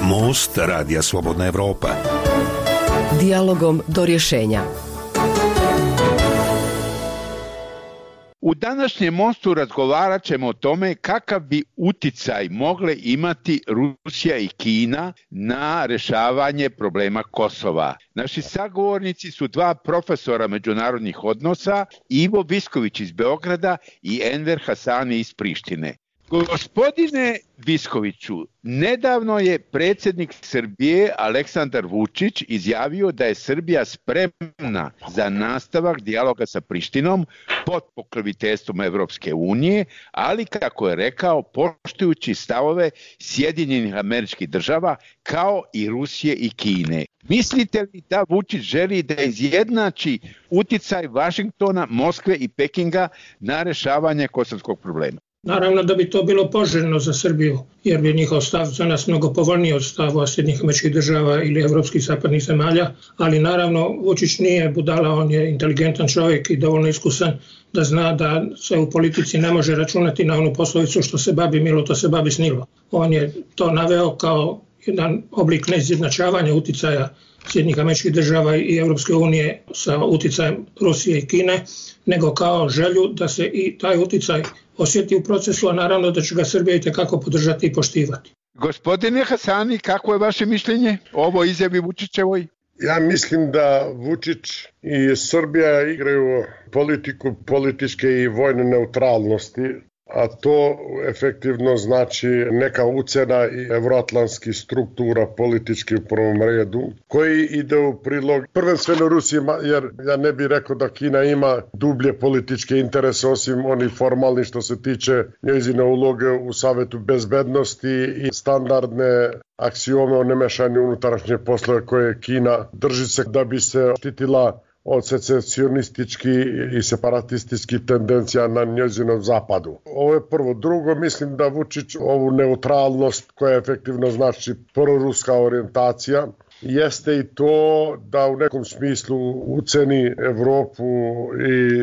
Most Radija Slobodna Evropa. Dijalogom do rješenja. U današnjem mostu razgovarat ćemo o tome kakav bi uticaj mogle imati Rusija i Kina na rešavanje problema Kosova. Naši sagovornici su dva profesora međunarodnih odnosa, Ivo Visković iz Beograda i Enver Hasani iz Prištine. Gospodine Viskoviću, nedavno je predsjednik Srbije Aleksandar Vučić izjavio da je Srbija spremna za nastavak dijaloga sa Prištinom pod pokroviteljstvom Evropske unije, ali kako je rekao, poštujući stavove Sjedinjenih Američkih Država kao i Rusije i Kine. Mislite li da Vučić želi da izjednači uticaj Vašingtona, Moskve i Pekinga na rešavanje kosovskog problema? Naravno da bi to bilo poželjno za Srbiju, jer bi njihov stav za nas mnogo povoljniji od stava Sjedinjenih Američkih Država ili evropskih zapadnih zemalja, ali naravno Vučić nije budala, on je inteligentan čovjek i dovoljno iskusan da zna da se u politici ne može računati na onu poslovicu što se babi milo, to se babi snilo. On je to naveo kao jedan oblik neizjednačavanja uticaja Sjedinjenih Američkih Država i Evropske unije sa uticajem Rusije i Kine, nego kao želju da se i taj uticaj osjeti u procesu, a naravno da će ga Srbija i tekako podržati i poštivati. Gospodine Hasani, kako je vaše mišljenje o ovoj izjavi Vučićevoj? Ja mislim da Vučić i Srbija igraju politiku političke i vojne neutralnosti, a to efektivno znači neka ucena i evroatlantskih struktura politički u prvom redu, koji ide u prilog prvenstveno Rusiji, jer ja ne bih rekao da Kina ima dublje političke interese osim onih formalni što se tiče njezine uloge u Savetu bezbednosti i standardne aksiome o nemešanju unutrašnje poslove koje Kina drži se da bi se štitila od secesionistički i separatističkih tendencija na njezinom zapadu. Ovo je prvo. Drugo, mislim da Vučić ovu neutralnost koja efektivno znači proruska orijentacija jeste i to da u nekom smislu uceni Evropu i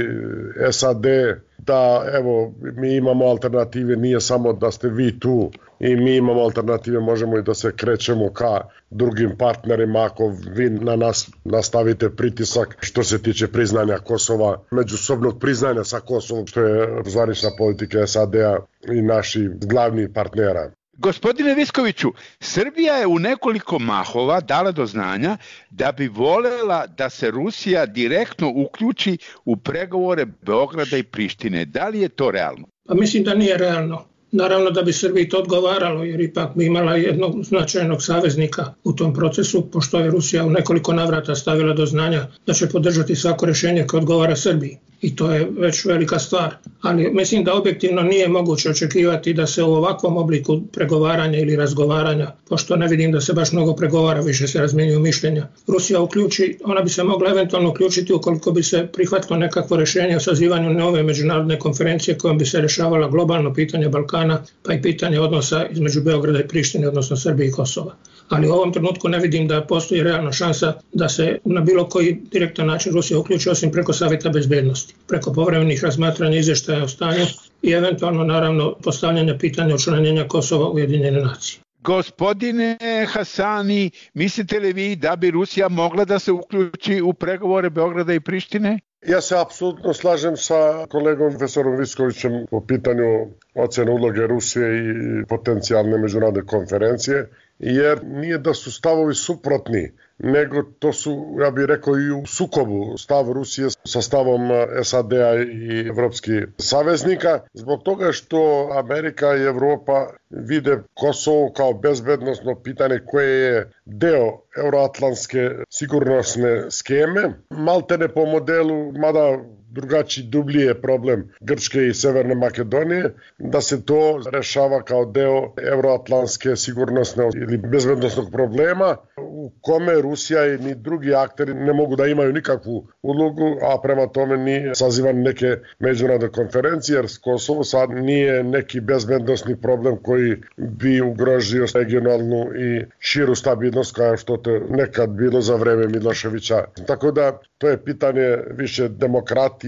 S A D da evo mi imamo alternative, nije samo da ste vi tu i mi imamo alternative, možemo i da se krećemo ka drugim partnerima ako vi na nas nastavite pritisak što se tiče priznanja Kosova, međusobnog priznanja sa Kosovom, što je zvanična politika S A D-a i naših glavnih partnera. Gospodine Viskoviću, Srbija je u nekoliko mahova dala do znanja da bi volela da se Rusija direktno uključi u pregovore Beograda i Prištine. Da li je to realno? Pa mislim da nije realno. Naravno da bi Srbiji to odgovaralo, jer ipak bi imala jednog značajnog saveznika u tom procesu, pošto je Rusija u nekoliko navrata stavila do znanja da će podržati svako rješenje koje odgovara Srbiji. I to je već velika stvar. Ali mislim da objektivno nije moguće očekivati da se u ovakvom obliku pregovaranja ili razgovaranja, pošto ne vidim da se baš mnogo pregovara, više se razmjenjuju mišljenja, Rusija uključi, ona bi se mogla eventualno uključiti ukoliko bi se prihvatilo nekakvo rješenje o sazivanju nove međunarodne konferencije kojom bi se rješavala globalno pitanje Balkana, pa i pitanje odnosa između Beograda i Prištine, odnosno Srbije i Kosova. Ali u ovom trenutku ne vidim da postoji realna šansa da se na bilo koji direktan način Rusija uključi, osim preko Savjeta bezbednosti, preko povremenih razmatranja izvještaja o stanju i eventualno naravno postavljanja pitanja učlanjenja Kosova u Ujedinjene nacije. Gospodine Hasani, mislite li vi da bi Rusija mogla da se uključi u pregovore Beograda i Prištine? Ja se apsolutno slažem sa kolegom profesorom Viskovićem po pitanju ocjene uloge Rusije i potencijalne međunarodne konferencije, jer nije da su stavovi suprotni, nego to su, ja bih rekao, i u sukobu stav Rusije sa stavom S A D-a i evropskih saveznika, zbog toga što Amerika i Evropa vide Kosovo kao bezbednosno pitanje koje je deo euroatlantske sigurnosne skeme, maltene po modelu, mada drugačiji, dublji je problem Grčke i Severne Makedonije, da se to rešava kao deo euroatlantske sigurnosne ili bezbednosnog problema u kome Rusija i ni drugi akteri ne mogu da imaju nikakvu ulogu, a prema tome ni sazivan neke međunarodne konferencije, jer Kosovo sad nije neki bezbednosni problem koji bi ugrožio regionalnu i širu stabilnost kao što to nekad bilo za vreme Miloševića. Tako da to je pitanje više demokratije,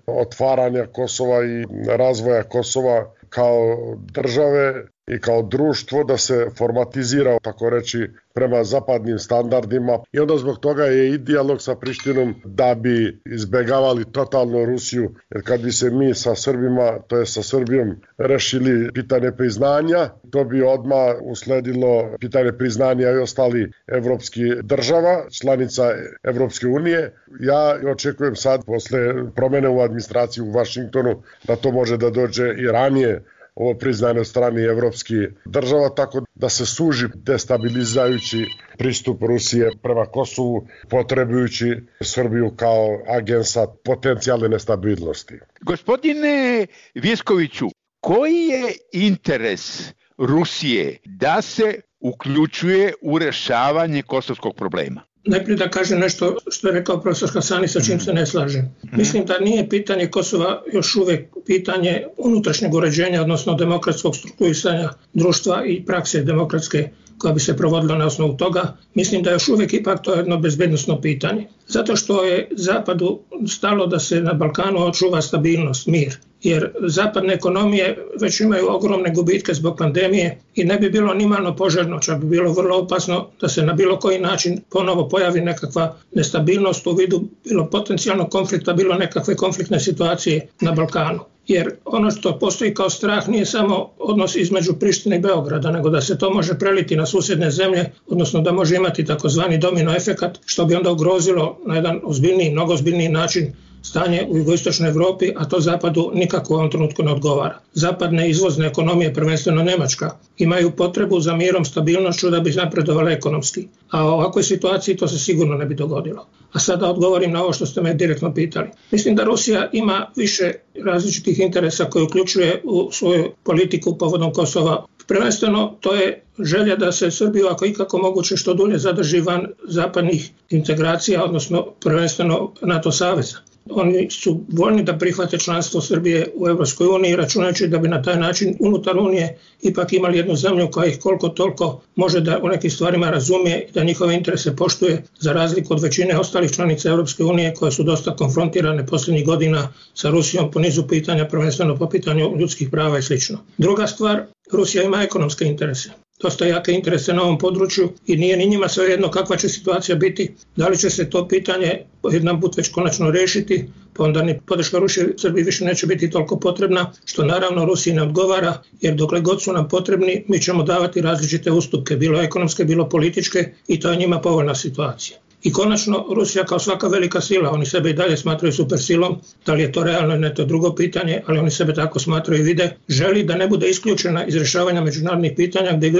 otvaranja Kosova i razvoja Kosova kao države i kao društvo, da se formatizira, tako reći, prema zapadnim standardima. I onda zbog toga je i dijalog sa Prištinom da bi izbegavali totalno Rusiju, jer kad bi se mi sa Srbima, to je sa Srbijom, rešili pitanje priznanja, to bi odmah usledilo pitanje priznanja i ostali evropski država, članica Evropske unije. Ja očekujem sad, posle promene u administraciji u Vašingtonu, da to može da dođe i ranije, ovo priznanje od strane evropskih država, tako da se suži destabilizajući pristup Rusije prema Kosovu, potrebujući Srbiju kao agensa potencijalne nestabilnosti. Gospodine Viskoviću, koji je interes Rusije da se uključuje u rešavanje kosovskog problema? Najprije da kažem nešto što je rekao profesor Hasani, sa čim se ne slažem. Mislim da nije pitanje Kosova još uvijek pitanje unutrašnjeg uređenja, odnosno demokratskog strukturisanja društva i prakse demokratske koja bi se provodila na osnovu toga. Mislim da još uvijek ipak to je jedno bezbednosno pitanje. Zato što je Zapadu stalo da se na Balkanu očuva stabilnost, mir. Jer zapadne ekonomije već imaju ogromne gubitke zbog pandemije i ne bi bilo nimalo poželjno, čak bi bilo vrlo opasno da se na bilo koji način ponovo pojavi nekakva nestabilnost u vidu bilo potencijalnog konflikta, bilo nekakve konfliktne situacije na Balkanu. Jer ono što postoji kao strah nije samo odnos između Prištine i Beograda, nego da se to može preliti na susjedne zemlje, odnosno da može imati takozvani domino efekat, što bi onda ugrozilo na jedan ozbiljniji, mnogo ozbiljniji način stanje u jugoistočnoj Evropi, a to Zapadu nikako u ovom trenutku ne odgovara. Zapadne izvozne ekonomije, prvenstveno Nemačka, imaju potrebu za mirom, stabilnošću da bi napredovale ekonomski. A u ovakvoj situaciji to se sigurno ne bi dogodilo. A sada odgovorim na ovo što ste me direktno pitali. Mislim da Rusija ima više različitih interesa koje uključuje u svoju politiku povodom Kosova. Prvenstveno to je želja da se Srbiju, ako ikako moguće, što dulje zadrži van zapadnih integracija, odnosno prvenstveno NATO saveza. Oni su voljni da prihvate članstvo Srbije u Evropskoj uniji, računajući da bi na taj način unutar Unije ipak imali jednu zemlju koja ih koliko toliko može da u nekim stvarima razumije i da njihove interese poštuje, za razliku od većine ostalih članica Evropske unije koje su dosta konfrontirane posljednjih godina sa Rusijom po nizu pitanja, prvenstveno po pitanju ljudskih prava i sl. Druga stvar, Rusija ima ekonomske interese. Dosta jake interese na ovom području i nije ni njima svejedno kakva će situacija biti, da li će se to pitanje jedan put već konačno rešiti, pa onda ni podrška Rusije Srbiji više neće biti toliko potrebna, što naravno Rusiji ne odgovara, jer dokle god su nam potrebni, mi ćemo davati različite ustupke, bilo ekonomske, bilo političke, i to je njima povoljna situacija. I konačno, Rusija kao svaka velika sila, oni sebe i dalje smatraju supersilom, da li je to realno ili ne, to je drugo pitanje, ali oni sebe tako smatraju i vide, želi da ne bude isključena iz rješavanja međunarodnih pitanja gdje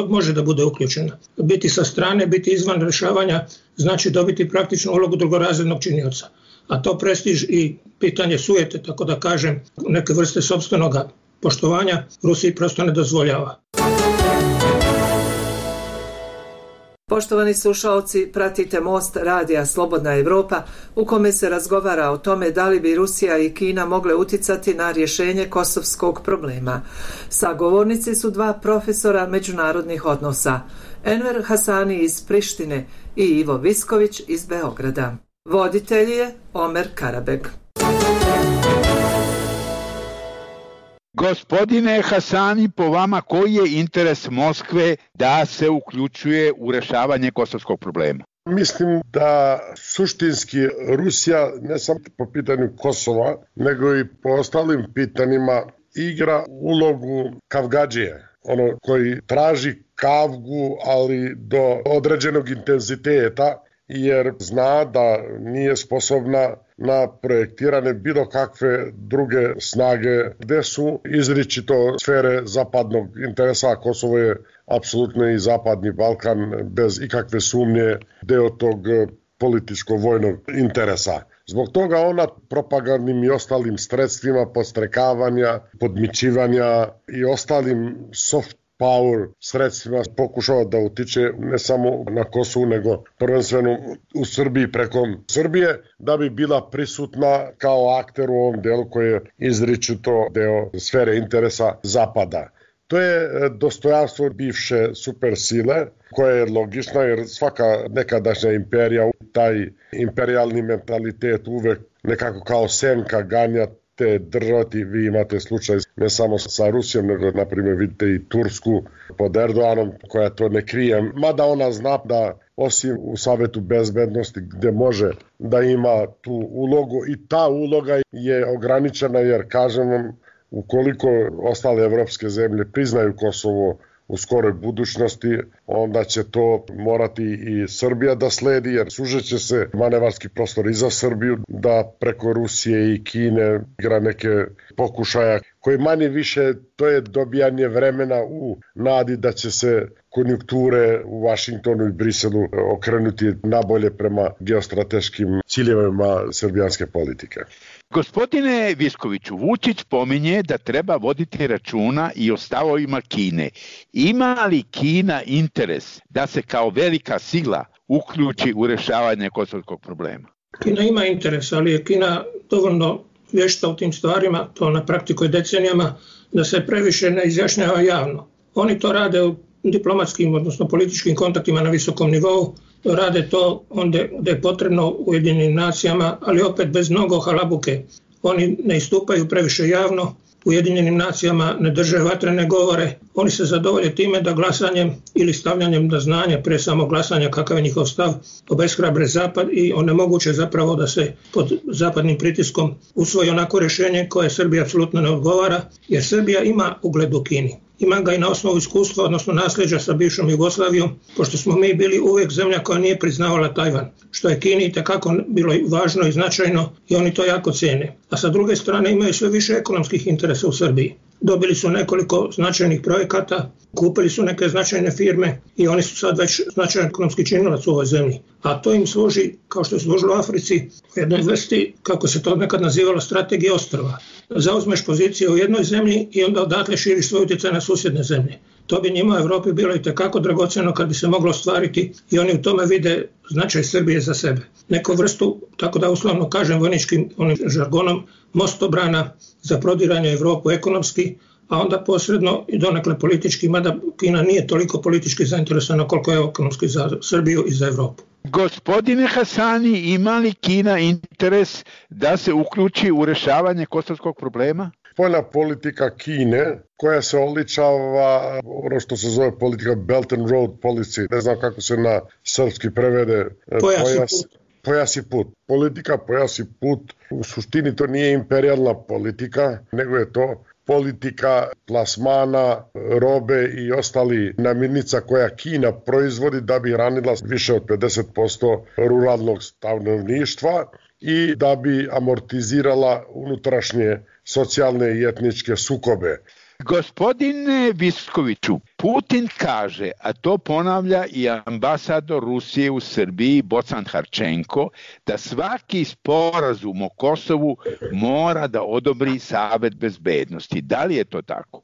može da bude uključena. Biti sa strane, biti izvan rješavanja, znači dobiti praktičnu ulogu drugorazrednog činioca. A to prestiž i pitanje sujete, tako da kažem, neke vrste sopstvenog poštovanja Rusiji prosto ne dozvoljava. Poštovani slušalci, pratite Most radija Slobodna Evropa u kome se razgovara o tome da li bi Rusija i Kina mogle uticati na rješenje kosovskog problema. Sagovornici su dva profesora međunarodnih odnosa, Enver Hasani iz Prištine i Ivo Visković iz Beograda. Voditelj je Omer Karabeg. Gospodine Hasani, po vama koji je interes Moskve da se uključuje u rješavanje kosovskog problema? Mislim da suštinski Rusija ne samo po pitanju Kosova, nego i po ostalim pitanjima igra ulogu kavgadžije, ono koji traži kavgu, ali do određenog intenziteta, jer zna da nije sposobna na projektirane bilo kakve druge snage gde su izričito sfere zapadnog interesa, a Kosovo je apsolutno i zapadni Balkan bez ikakve sumnje deo tog političko-vojnog interesa. Zbog toga ona propagandnim i ostalim sredstvima podstrekavanja, podmićivanja i ostalim soft power sredstvima pokušava da utiče ne samo na Kosovu, nego prvenstveno u Srbiji preko Srbije, da bi bila prisutna kao akter u ovom delu koji je izričito deo sfere interesa Zapada. To je dostojanstvo bivše supersile, koja je logična jer svaka nekadašnja imperija, taj imperijalni mentalitet uvek nekako kao senka ganja te držati. Vi imate slučaj ne samo sa Rusijom, nego na primjer vidite i Tursku pod Erdoganom koja to ne krije. Mada ona zna da osim u Savetu bezbednosti gde može da ima tu ulogu i ta uloga je ograničena jer kažem vam ukoliko ostale evropske zemlje priznaju Kosovo u skoroj budućnosti, onda će to morati i Srbija da sledi, jer sužeće se manevarski prostor i za Srbiju da preko Rusije i Kine igra neke pokušaja koji manje više to je dobijanje vremena u nadi da će se konjunkture u Vašingtonu i Briselu okrenuti nabolje prema geostrateškim ciljevima srbijanske politike. Gospodine Viskoviću, Vučić pominje da treba voditi računa i o stavovima Kine. Ima li Kina interes da se kao velika sila uključi u rješavanje kosovskog problema? Kina ima interes, ali je Kina dovoljno vješta u tim stvarima, to na praktikuje decenijama, da se previše ne izjašnjava javno. Oni to rade u diplomatskim, odnosno političkim kontaktima na visokom nivou, rade to onda gde je potrebno u Ujedinjenim nacijama, ali opet bez mnogo halabuke. Oni ne istupaju previše javno, u Ujedinjenim nacijama ne drže vatrene govore, oni se zadovolje time da glasanjem ili stavljanjem na znanje, pre samo glasanja kakav je njihov stav, obeshrabre Zapad i onemoguće zapravo da se pod zapadnim pritiskom usvoji onako rješenje koje Srbiji apsolutno ne odgovara, jer Srbija ima ugled u Kini. Ima ga i na osnovu iskustva, odnosno nasljeđa sa bivšom Jugoslavijom, pošto smo mi bili uvijek zemlja koja nije priznavala Tajvan, što je Kini itekako bilo važno i značajno i oni to jako cijene. A sa druge strane imaju sve više ekonomskih interesa u Srbiji. Dobili su nekoliko značajnih projekata, kupili su neke značajne firme i oni su sad već značajan ekonomski činilac u ovoj zemlji. A to im služi, kao što je služilo Africi, u jednoj vrsti, kako se to nekad nazivalo, strategije ostrva. Zauzmeš pozicije u jednoj zemlji i onda odatle širiš svoj utjecaj na susjedne zemlje. To bi njima u Evropi bilo i tekako dragoceno kad bi se moglo ostvariti i oni u tome vide značaj Srbije za sebe. Neku vrstu, tako da uslovno kažem vojničkim onim žargonom, mostobrana za prodiranje Evropu ekonomski, a onda posredno i donekle politički, mada Kina nije toliko politički zainteresovana koliko je ekonomski za Srbiju i za Evropu. Gospodine Hasani, ima li Kina interes da se uključi u rješavanje kosovskog problema? Spoljna politika Kine, koja se oličava ono što se zove politika Belt and Road Policy, ne znam kako se na srpski prevede, pojas, pojas, pojasi put. Politika pojasi put, u suštini to nije imperijalna politika, nego je to politika plasmana, robe i ostali namirnica koja Kina proizvodi da bi hranila više od pedeset posto ruralnog stanovništva i da bi amortizirala unutrašnje socijalne i etničke sukobe. Gospodine Viskoviću, Putin kaže, a to ponavlja i ambasador Rusije u Srbiji Bocan Harčenko, da svaki sporazum o Kosovu mora da odobri Savet bezbednosti. Da li je to tako?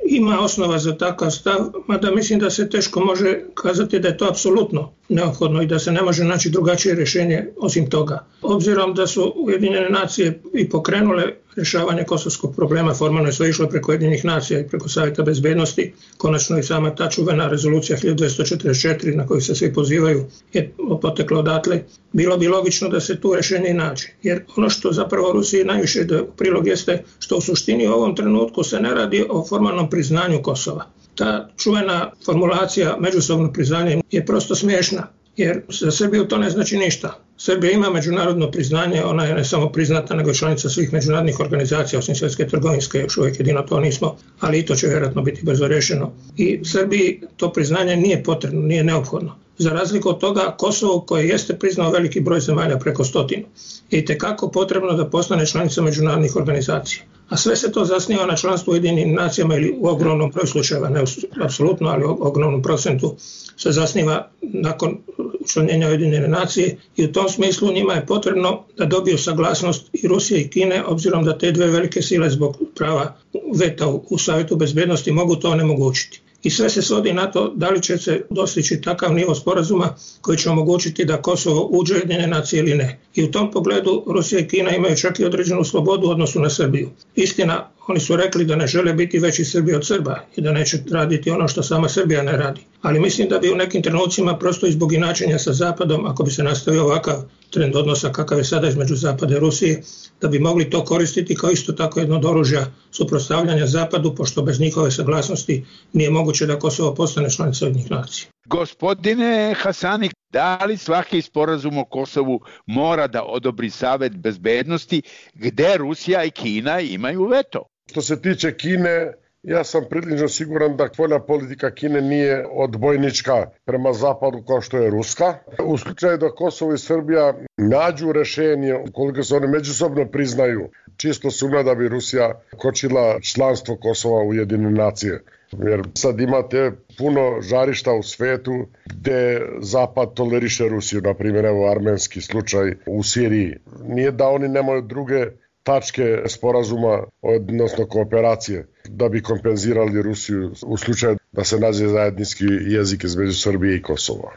Ima osnova za takav stav, mada mislim da se teško može kazati da je to apsolutno neophodno i da se ne može naći drugačije rješenje osim toga. Obzirom da su Ujedinjene nacije i pokrenule rješavanje kosovskog problema, formalno je sve išlo preko Ujedinjenih nacija i preko Savjeta bezbednosti, konačno i sama ta čuvena rezolucija hiljadu dvesta četrdeset četiri na koju se svi pozivaju je potekla odatle, bilo bi logično da se tu rješenje i nađe. Jer ono što zapravo Rusiji najviše ide u prilog jeste što u suštini u ovom trenutku se ne radi o formalnom priznanju Kosova. Ta čuvena formulacija međusobno priznanje je prosto smiješna, jer za Srbiju to ne znači ništa. Srbija ima međunarodno priznanje, ona je ne samo priznata, nego i članica svih međunarodnih organizacija, osim Svjetske trgovinske, još uvijek jedino to nismo, ali i to će vjerojatno biti brzo rješeno. I Srbiji to priznanje nije potrebno, nije neophodno. Za razliku od toga, Kosovo, koje jeste priznao veliki broj zemalja, preko stotinu, je itekako potrebno da postane članica međunarodnih organizacija. A sve se to zasniva na članstvu u Ujedinjenim nacijama ili u ogromnom broju slučajeva, ne apsolutno, ali u ogromnom procentu se zasniva nakon učlanjenja Ujedinjene nacije i u tom smislu njima je potrebno da dobiju saglasnost i Rusije i Kine, obzirom da te dve velike sile zbog prava veta u Savjetu bezbednosti mogu to onemogućiti. I sve se svodi na to da li će se dostići takav nivo sporazuma koji će omogućiti da Kosovo uđe u Ujedinjene nacije ili ne. I u tom pogledu Rusija i Kina imaju čak i određenu slobodu u odnosu na Srbiju. Istina, oni su rekli da ne žele biti veći Srbi od Srba i da neće raditi ono što sama Srbija ne radi. Ali mislim da bi u nekim trenucima prosto i zbog inačenja sa Zapadom, ako bi se nastavio ovakav trend odnosa kakav je sada između Zapada i Rusije, da bi mogli to koristiti kao isto tako jedno od oružja suprotstavljanja Zapadu, pošto bez njihove saglasnosti nije moguće da Kosovo postane članica Ujedinjenih nacija. Gospodine Hasani, da li svaki sporazum o Kosovu mora da odobri Savet bezbednosti gde Rusija i Kina imaju veto? Što se tiče Kine, ja sam prilično siguran da spoljna politika Kine nije odbojnička prema zapadu kao što je ruska. U slučaju da Kosovo i Srbija nađu rešenje, ukoliko se oni međusobno priznaju, čisto sumnja da bi Rusija kočila članstvo Kosova u Ujedinjene nacije. Jer sad imate puno žarišta u svetu gde Zapad toleriše Rusiju, na primjer evo armenski slučaj u Siriji. Nije da oni nemaju druge tačke sporazuma, odnosno kooperacije, da bi kompenzirali Rusiju u slučaju da se nađe zajednički jezik između Srbije i Kosova.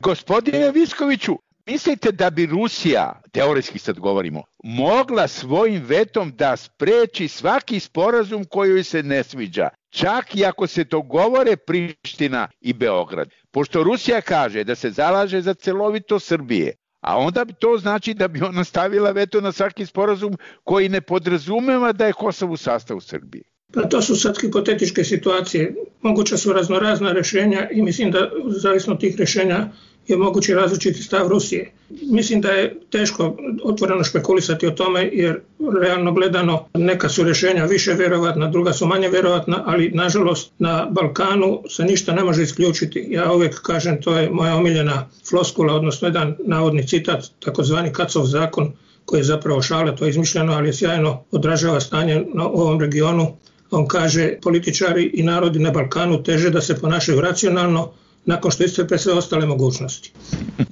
Gospodine Viskoviću, mislite da bi Rusija, teoretski sad govorimo, mogla svojim vetom da spreči svaki sporazum koji se ne sviđa, čak i ako se dogovore Priština i Beograd? Pošto Rusija kaže da se zalaže za celovito Srbije, a onda bi to znači da bi ona stavila veto na svaki sporazum koji ne podrazumeva da je Kosovo u sastavu Srbije. Pa to su sad hipotetičke situacije. Moguća su raznorazna rješenja i mislim da zavisno tih rješenja je mogući različiti stav Rusije. Mislim da je teško otvoreno špekulisati o tome jer realno gledano neka su rješenja više vjerovatna, druga su manje vjerovatna, ali nažalost na Balkanu se ništa ne može isključiti. Ja uvijek kažem, to je moja omiljena floskula, odnosno jedan navodni citat, takozvani Kacov zakon, koji je zapravo šale, to je izmišljeno, ali je sjajno odražava stanje na ovom regionu. On kaže, političari i narodi na Balkanu teže da se ponašaju racionalno nakon što iscrpe sve ostale mogućnosti.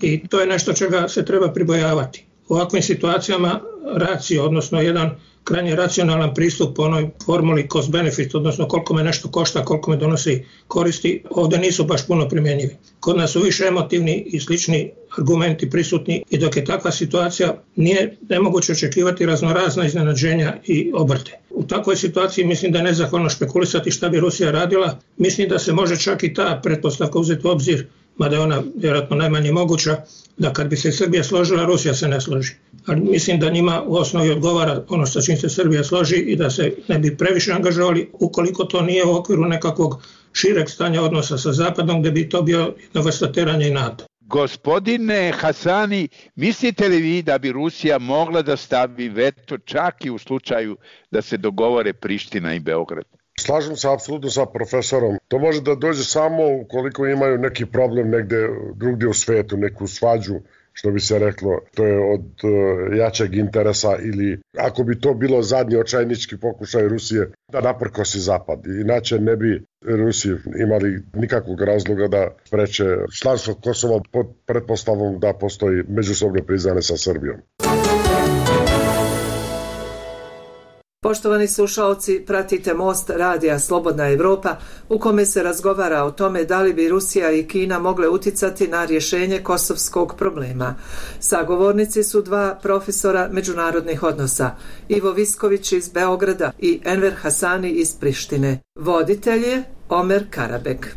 I to je nešto čega se treba pribojavati. U ovakvim situacijama racio, odnosno jedan krajnje racionalan pristup po onoj formuli cost benefit, odnosno koliko me nešto košta, koliko me donosi koristi, ovdje nisu baš puno primjenjivi. Kod nas su više emotivni i slični argumenti prisutni i dok je takva situacija nije nemoguće očekivati raznorazna iznenađenja i obrte. U takvoj situaciji mislim da je nezahvalno špekulisati šta bi Rusija radila. Mislim da se može čak i ta pretpostavka uzeti u obzir, mada je ona vjerojatno najmanje moguća, da kad bi se Srbija složila, Rusija se ne složi. Ali mislim da njima u osnovi odgovara ono sa čim se Srbija složi i da se ne bi previše angažovali ukoliko to nije u okviru nekakvog šireg stanja odnosa sa Zapadom, gdje bi to bio jedna vrsta teranja i NATO. Gospodine Hasani, mislite li vi da bi Rusija mogla da stavi veto čak i u slučaju da se dogovore Priština i Beograd? Slažem se apsolutno sa profesorom. To može da dođe samo ukoliko imaju neki problem negde drugdje u svetu, neku svađu, što bi se reklo, to je od uh, jačeg interesa, ili ako bi to bilo zadnji očajnički pokušaj Rusije da naprkosi Zapad. Inače ne bi Rusi imali nikakvog razloga da spreče članstvo Kosova pod pretpostavom da postoji međusobno priznanje sa Srbijom. Poštovani slušalci, pratite Most radija Slobodna Evropa u kome se razgovara o tome da li bi Rusija i Kina mogle uticati na rješenje kosovskog problema. Sagovornici su dva profesora međunarodnih odnosa, Ivo Visković iz Beograda i Enver Hasani iz Prištine. Voditelj je Omer Karabek.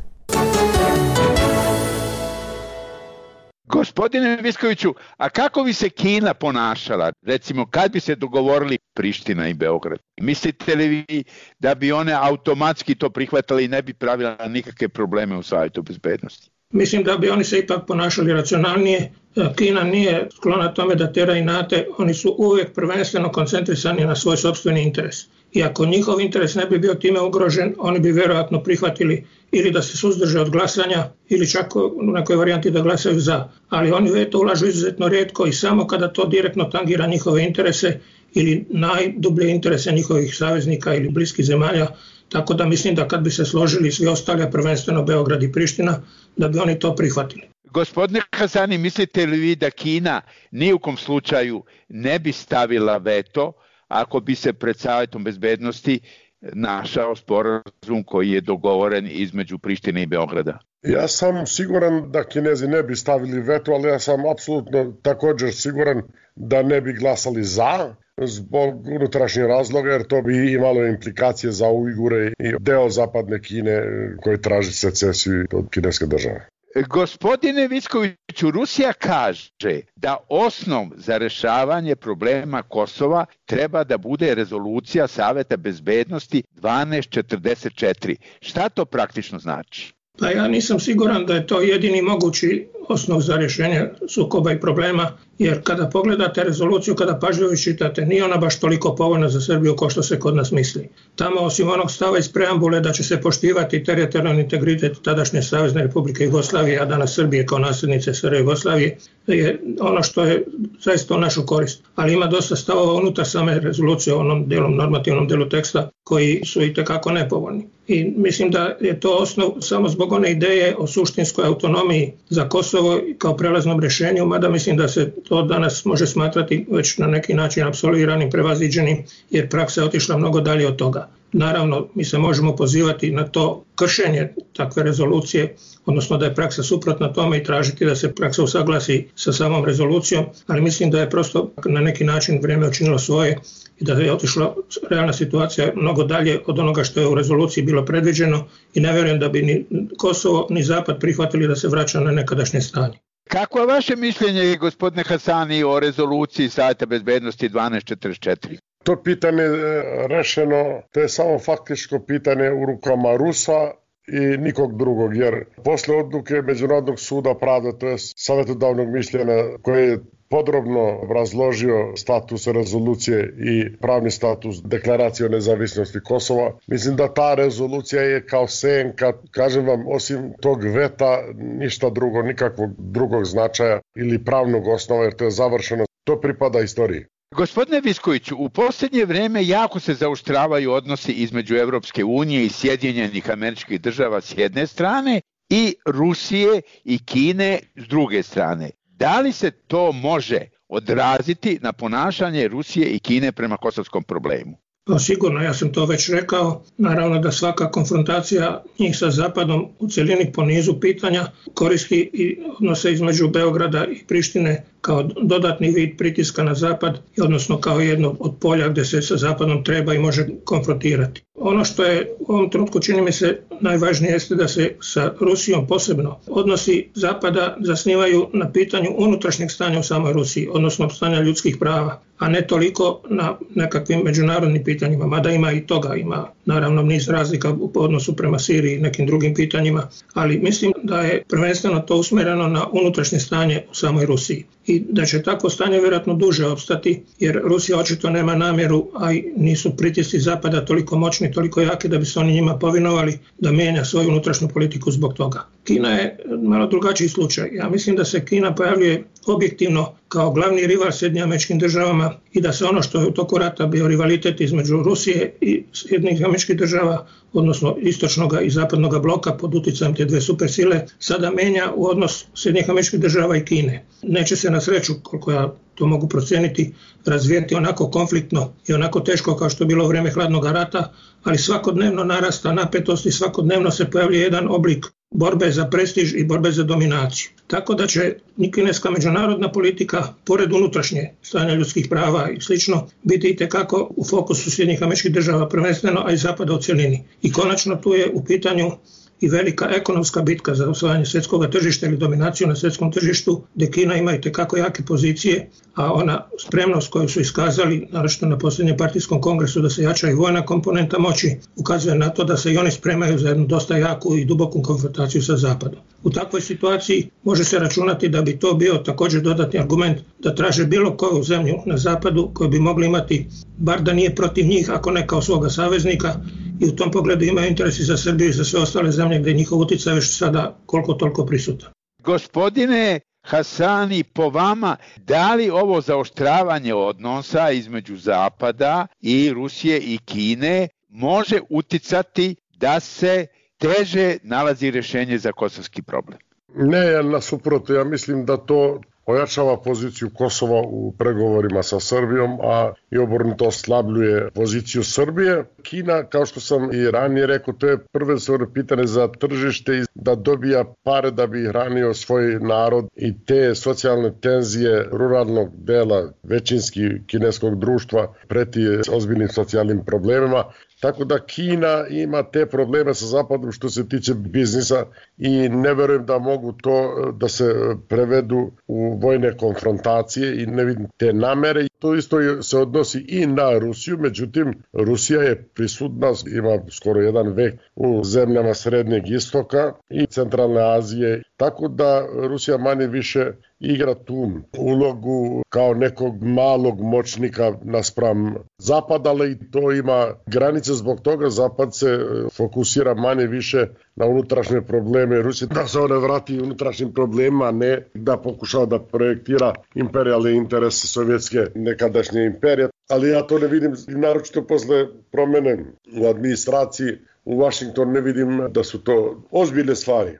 Gospodine Viskoviću, a kako bi se Kina ponašala, recimo kad bi se dogovorili Priština i Beograd? Mislite li vi da bi one automatski to prihvatili i ne bi pravila nikakve probleme u Savjetu bezbednosti? Mislim da bi oni se ipak ponašali racionalnije. Kina nije sklona tome da tera inate, oni su uvijek prvenstveno koncentrisani na svoj sopstveni interes. I ako njihov interes ne bi bio time ugrožen, oni bi vjerojatno prihvatili ili da se suzdrže od glasanja ili čak u nekoj varijanti da glasaju za. Ali oni veto ulažu izuzetno rijetko i samo kada to direktno tangira njihove interese ili najdublje interese njihovih saveznika ili bliskih zemalja. Tako da mislim da kad bi se složili svi ostali, a prvenstveno Beograd i Priština, da bi oni to prihvatili. Gospodine Hasani, mislite li vi da Kina ni u kom slučaju ne bi stavila veto ako bi se pred Savjetom bezbednosti našao sporazum koji je dogovoren između Prištine i Beograda? Ja sam siguran da Kinezi ne bi stavili veto, ali ja sam apsolutno također siguran da ne bi glasali za, zbog unutrašnjih razloga, jer to bi imalo implikacije za Ujgure i deo zapadne Kine koji traži secesiju od kineske države. Gospodine Viskoviću, Rusija kaže da osnov za rešavanje problema Kosova treba da bude rezolucija Saveta bezbednosti dvanaest četrdeset četiri. Šta to praktično znači? Pa ja nisam siguran da je to jedini mogući osnov za rješenje sukoba i problema, jer kada pogledate rezoluciju, kada pažljivo čitate, nije ona baš toliko povoljna za Srbiju kao što se kod nas misli. Tamo, osim onog stava iz preambule da će se poštivati teritorijalni integritet tadašnje Savezne Republike Jugoslavije, a danas Srbije kao nasljednice S R Jugoslavije, je ono što je zaista u našu korist. Ali ima dosta stavova unutar same rezolucije, onom delom, normativnom delu teksta, koji su i tekako nepovoljni. I mislim da je to osnov samo zbog one ideje o suštinskoj autonomiji za Kosovo kao prelaznom rješenju, mada mislim da se to danas može smatrati već na neki način apsolviranim, prevaziđenim, jer praksa je otišla mnogo dalje od toga. Naravno, mi se možemo pozivati na to kršenje takve rezolucije, odnosno da je praksa suprotna tome i tražiti da se praksa usaglasi sa samom rezolucijom, ali mislim da je prosto na neki način vrijeme učinilo svoje i da je otišla realna situacija mnogo dalje od onoga što je u rezoluciji bilo predviđeno i ne vjerujem da bi ni Kosovo ni Zapad prihvatili da se vraća na nekadašnje stanje. Kako je vaše mišljenje, gospodine Hasani, o rezoluciji Savjeta bezbednosti dvanaest četrdeset četiri? To pitanje je rešeno, to je samo faktičko pitanje u rukama Rusa i nikog drugog, jer posle odluke Međunarodnog suda pravde, to je savjetodavnog mišljenja koje je podrobno razložio status rezolucije i pravni status deklaracije o nezavisnosti Kosova. Mislim da ta rezolucija je kao senka, kažem vam, osim tog veta, ništa drugo, nikakvog drugog značaja ili pravnog osnova, jer to je završeno. To pripada istoriji. Gospodine Viskoviću, u posljednje vrijeme jako se zaoštravaju odnosi između Evropske unije i Sjedinjenih Američkih Država s jedne strane i Rusije i Kine s druge strane. Da li se to može odraziti na ponašanje Rusije i Kine prema kosovskom problemu? Pa sigurno, ja sam to već rekao. Naravno da svaka konfrontacija njih sa Zapadom u cjelini po nizu pitanja koristi i odnose između Beograda i Prištine kao dodatni vid pritiska na Zapad, odnosno kao jedno od polja gdje se sa Zapadom treba i može konfrontirati. Ono što je u ovom trenutku čini mi se najvažnije jeste da se sa Rusijom posebno odnosi Zapada zasnivaju na pitanju unutrašnjeg stanja u samoj Rusiji, odnosno stanja ljudskih prava, a ne toliko na nekakvim međunarodnim pitanjima, mada ima i toga, ima naravno niz razlika u odnosu prema Siriji i nekim drugim pitanjima, ali mislim da je prvenstveno to usmjereno na unutrašnje stanje u samoj Rusiji i da će takvo stanje vjerojatno duže opstati, jer Rusija očito nema namjeru, a i nisu pritisci Zapada toliko moćni, toliko jaki da bi se oni njima povinovali da mijenja svoju unutrašnju politiku zbog toga. Kina je malo drugačiji slučaj. Ja mislim da se Kina pojavljuje objektivno kao glavni rival Sjedinjenim Američkim Državama i da se ono što je u toku rata bio rivalitet između Rusije i Sjedinjenih Američkih Država, odnosno istočnog i zapadnog bloka pod utjecajem te dve supersile, sada menja u odnos Sjedinjenih Američkih Država i Kine. Neće se na sreću, koliko ja to mogu procijeniti, razvijeti onako konfliktno i onako teško kao što je bilo u vrijeme hladnog rata, ali svakodnevno narasta napetost i svakodnevno se pojavljuje jedan oblik borbe za prestiž i borbe za dominaciju. Tako da će kineska međunarodna politika, pored unutrašnje stanja ljudskih prava i slično, biti itekako u fokusu Sjedinjenih Američkih Država prvenstveno, a i Zapada u cjelini. I konačno tu je u pitanju i velika ekonomska bitka za osvajanje svjetskog tržišta ili dominaciju na svjetskom tržištu, gdje Kina ima itekako jake pozicije, a ona spremnost koju su iskazali, naročito na posljednjem partijskom kongresu, da se jača i vojna komponenta moći, ukazuje na to da se i oni spremaju za jednu dosta jaku i duboku konfrontaciju sa Zapadom. U takvoj situaciji može se računati da bi to bio također dodatni argument da traže bilo koju zemlju na Zapadu koju bi mogli imati, bar da nije protiv njih, ako ne kao svoga saveznika, i u tom pogledu imaju interesi za Srbiju i za sve ostale zemlje gdje je njihov utjecaj već sada koliko toliko prisutan. Gospodine Hasani, po vama, da li ovo zaoštravanje odnosa između Zapada i Rusije i Kine može uticati da se teže nalazi rješenje za kosovski problem? Ne, nasuprot, ja mislim da to ojačava poziciju Kosova u pregovorima sa Srbijom, a i obrnuto oslabljuje poziciju Srbije. Kina, kao što sam i ranije rekao, to je prvenstveno pitanje za tržište i da dobija pare da bi hranio svoj narod i te socijalne tenzije ruralnog dela većinski kineskog društva preti ozbiljnim socijalnim problemima. Tako da Kina ima te probleme sa Zapadom što se tiče biznisa i ne verujem da mogu to da se prevedu u vojne konfrontacije i ne vidim te namere. To isto se odnosi i na Rusiju, međutim Rusija je prisutna, ima skoro jedan vek u zemljama Srednjeg istoka i Centralne Azije, tako da Rusija manje više igra tu ulogu kao nekog malog moćnika naspram Zapada, ali to ima granice, zbog toga Zapad se fokusira manje više na unutrašnje probleme Rusije, da se one vrati unutrašnjim problemima, a ne da pokušava da projektira imperijalne interese sovjetske nekadašnje imperije. Ali ja to ne vidim, naročito posle promjene u administraciji u Washingtonu, ne vidim da su to ozbiljne stvari.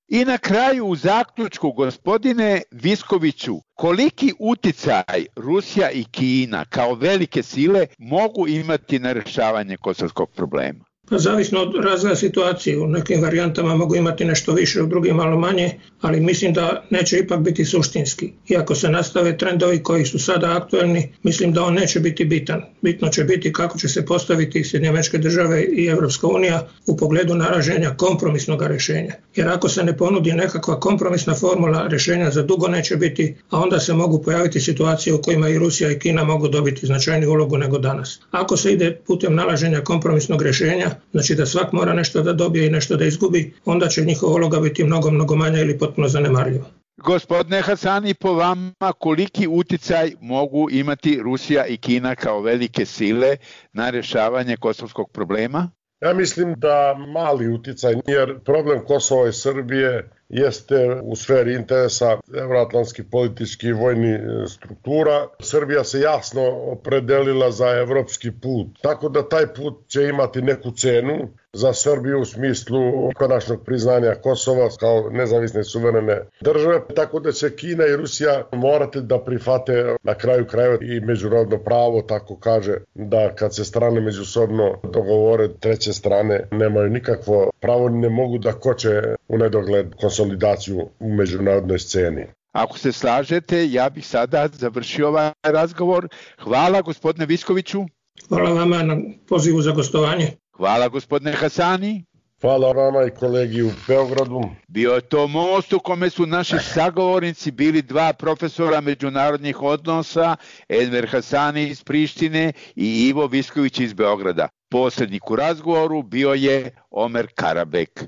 I na kraju u zaključku, gospodine Viskoviću, koliki uticaj Rusija i Kina kao velike sile mogu imati na rješavanje kosovskog problema? Pa zavisno od razvoja situacije, u nekim varijantama mogu imati nešto više, u drugim malo manje, ali mislim da neće ipak biti suštinski. Iako se nastave trendovi koji su sada aktuelni, mislim da on neće biti bitan. Bitno će biti kako će se postaviti Sjedinjene Američke Države i Evropska unija u pogledu nalaženja kompromisnog rješenja. Jer ako se ne ponudi nekakva kompromisna formula, rješenja za dugo neće biti, a onda se mogu pojaviti situacije u kojima i Rusija i Kina mogu dobiti značajniju ulogu nego danas. Ako se ide putem nalaženja kompromisnog rješenja, znači da svak mora nešto da dobije i nešto da izgubi, onda će njihova uloga biti mnogo, mnogo manja ili potpuno zanemarljiva. Gospodine Hasani, po vama koliki uticaj mogu imati Rusija i Kina kao velike sile na rješavanje kosovskog problema? Ja mislim da mali uticaj, jer problem Kosova i Srbije jeste u sferi interesa evroatlantskih političkih i vojnih struktura. Srbija se jasno opredelila za evropski put, tako da taj put će imati neku cenu za Srbiju u smislu konačnog priznanja Kosova kao nezavisne suverene države, tako da će Kina i Rusija morati da prihvate na kraju krajeva i međunarodno pravo, tako kaže da kad se strane međusobno dogovore, treće strane nemaju nikakvo pravo, ne mogu da koče u nedogled konsolidaciju u međunarodnoj sceni. Ako se slažete, ja bih sada završio ovaj razgovor. Hvala gospodine Viskoviću. Hvala vama na pozivu za gostovanje. Hvala gospodine Hasani. Hvala vama i kolegi u Beogradu. Bio je to most u kome su naši sagovornici bili dva profesora međunarodnih odnosa, Enver Hasani iz Prištine i Ivo Visković iz Beograda. Posrednik u razgovoru bio je Omer Karabek.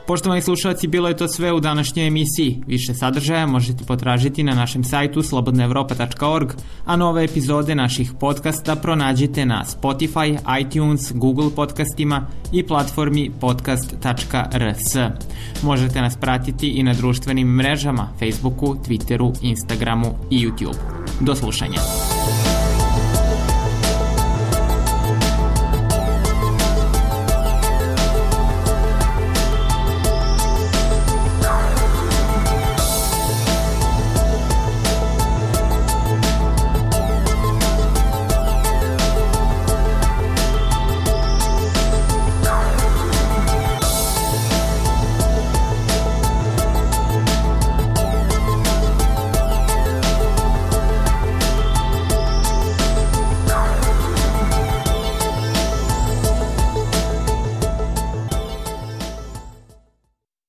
Poštovani slušalci, bilo je to sve u današnjoj emisiji. Više sadržaja možete potražiti na našem sajtu slobodna evropa tačka org, a nove epizode naših podcasta pronađite na Spotify, iTunes, Google podcastima i platformi podcast tačka r s. Možete nas pratiti i na društvenim mrežama, Facebooku, Twitteru, Instagramu i YouTube. Do slušanja.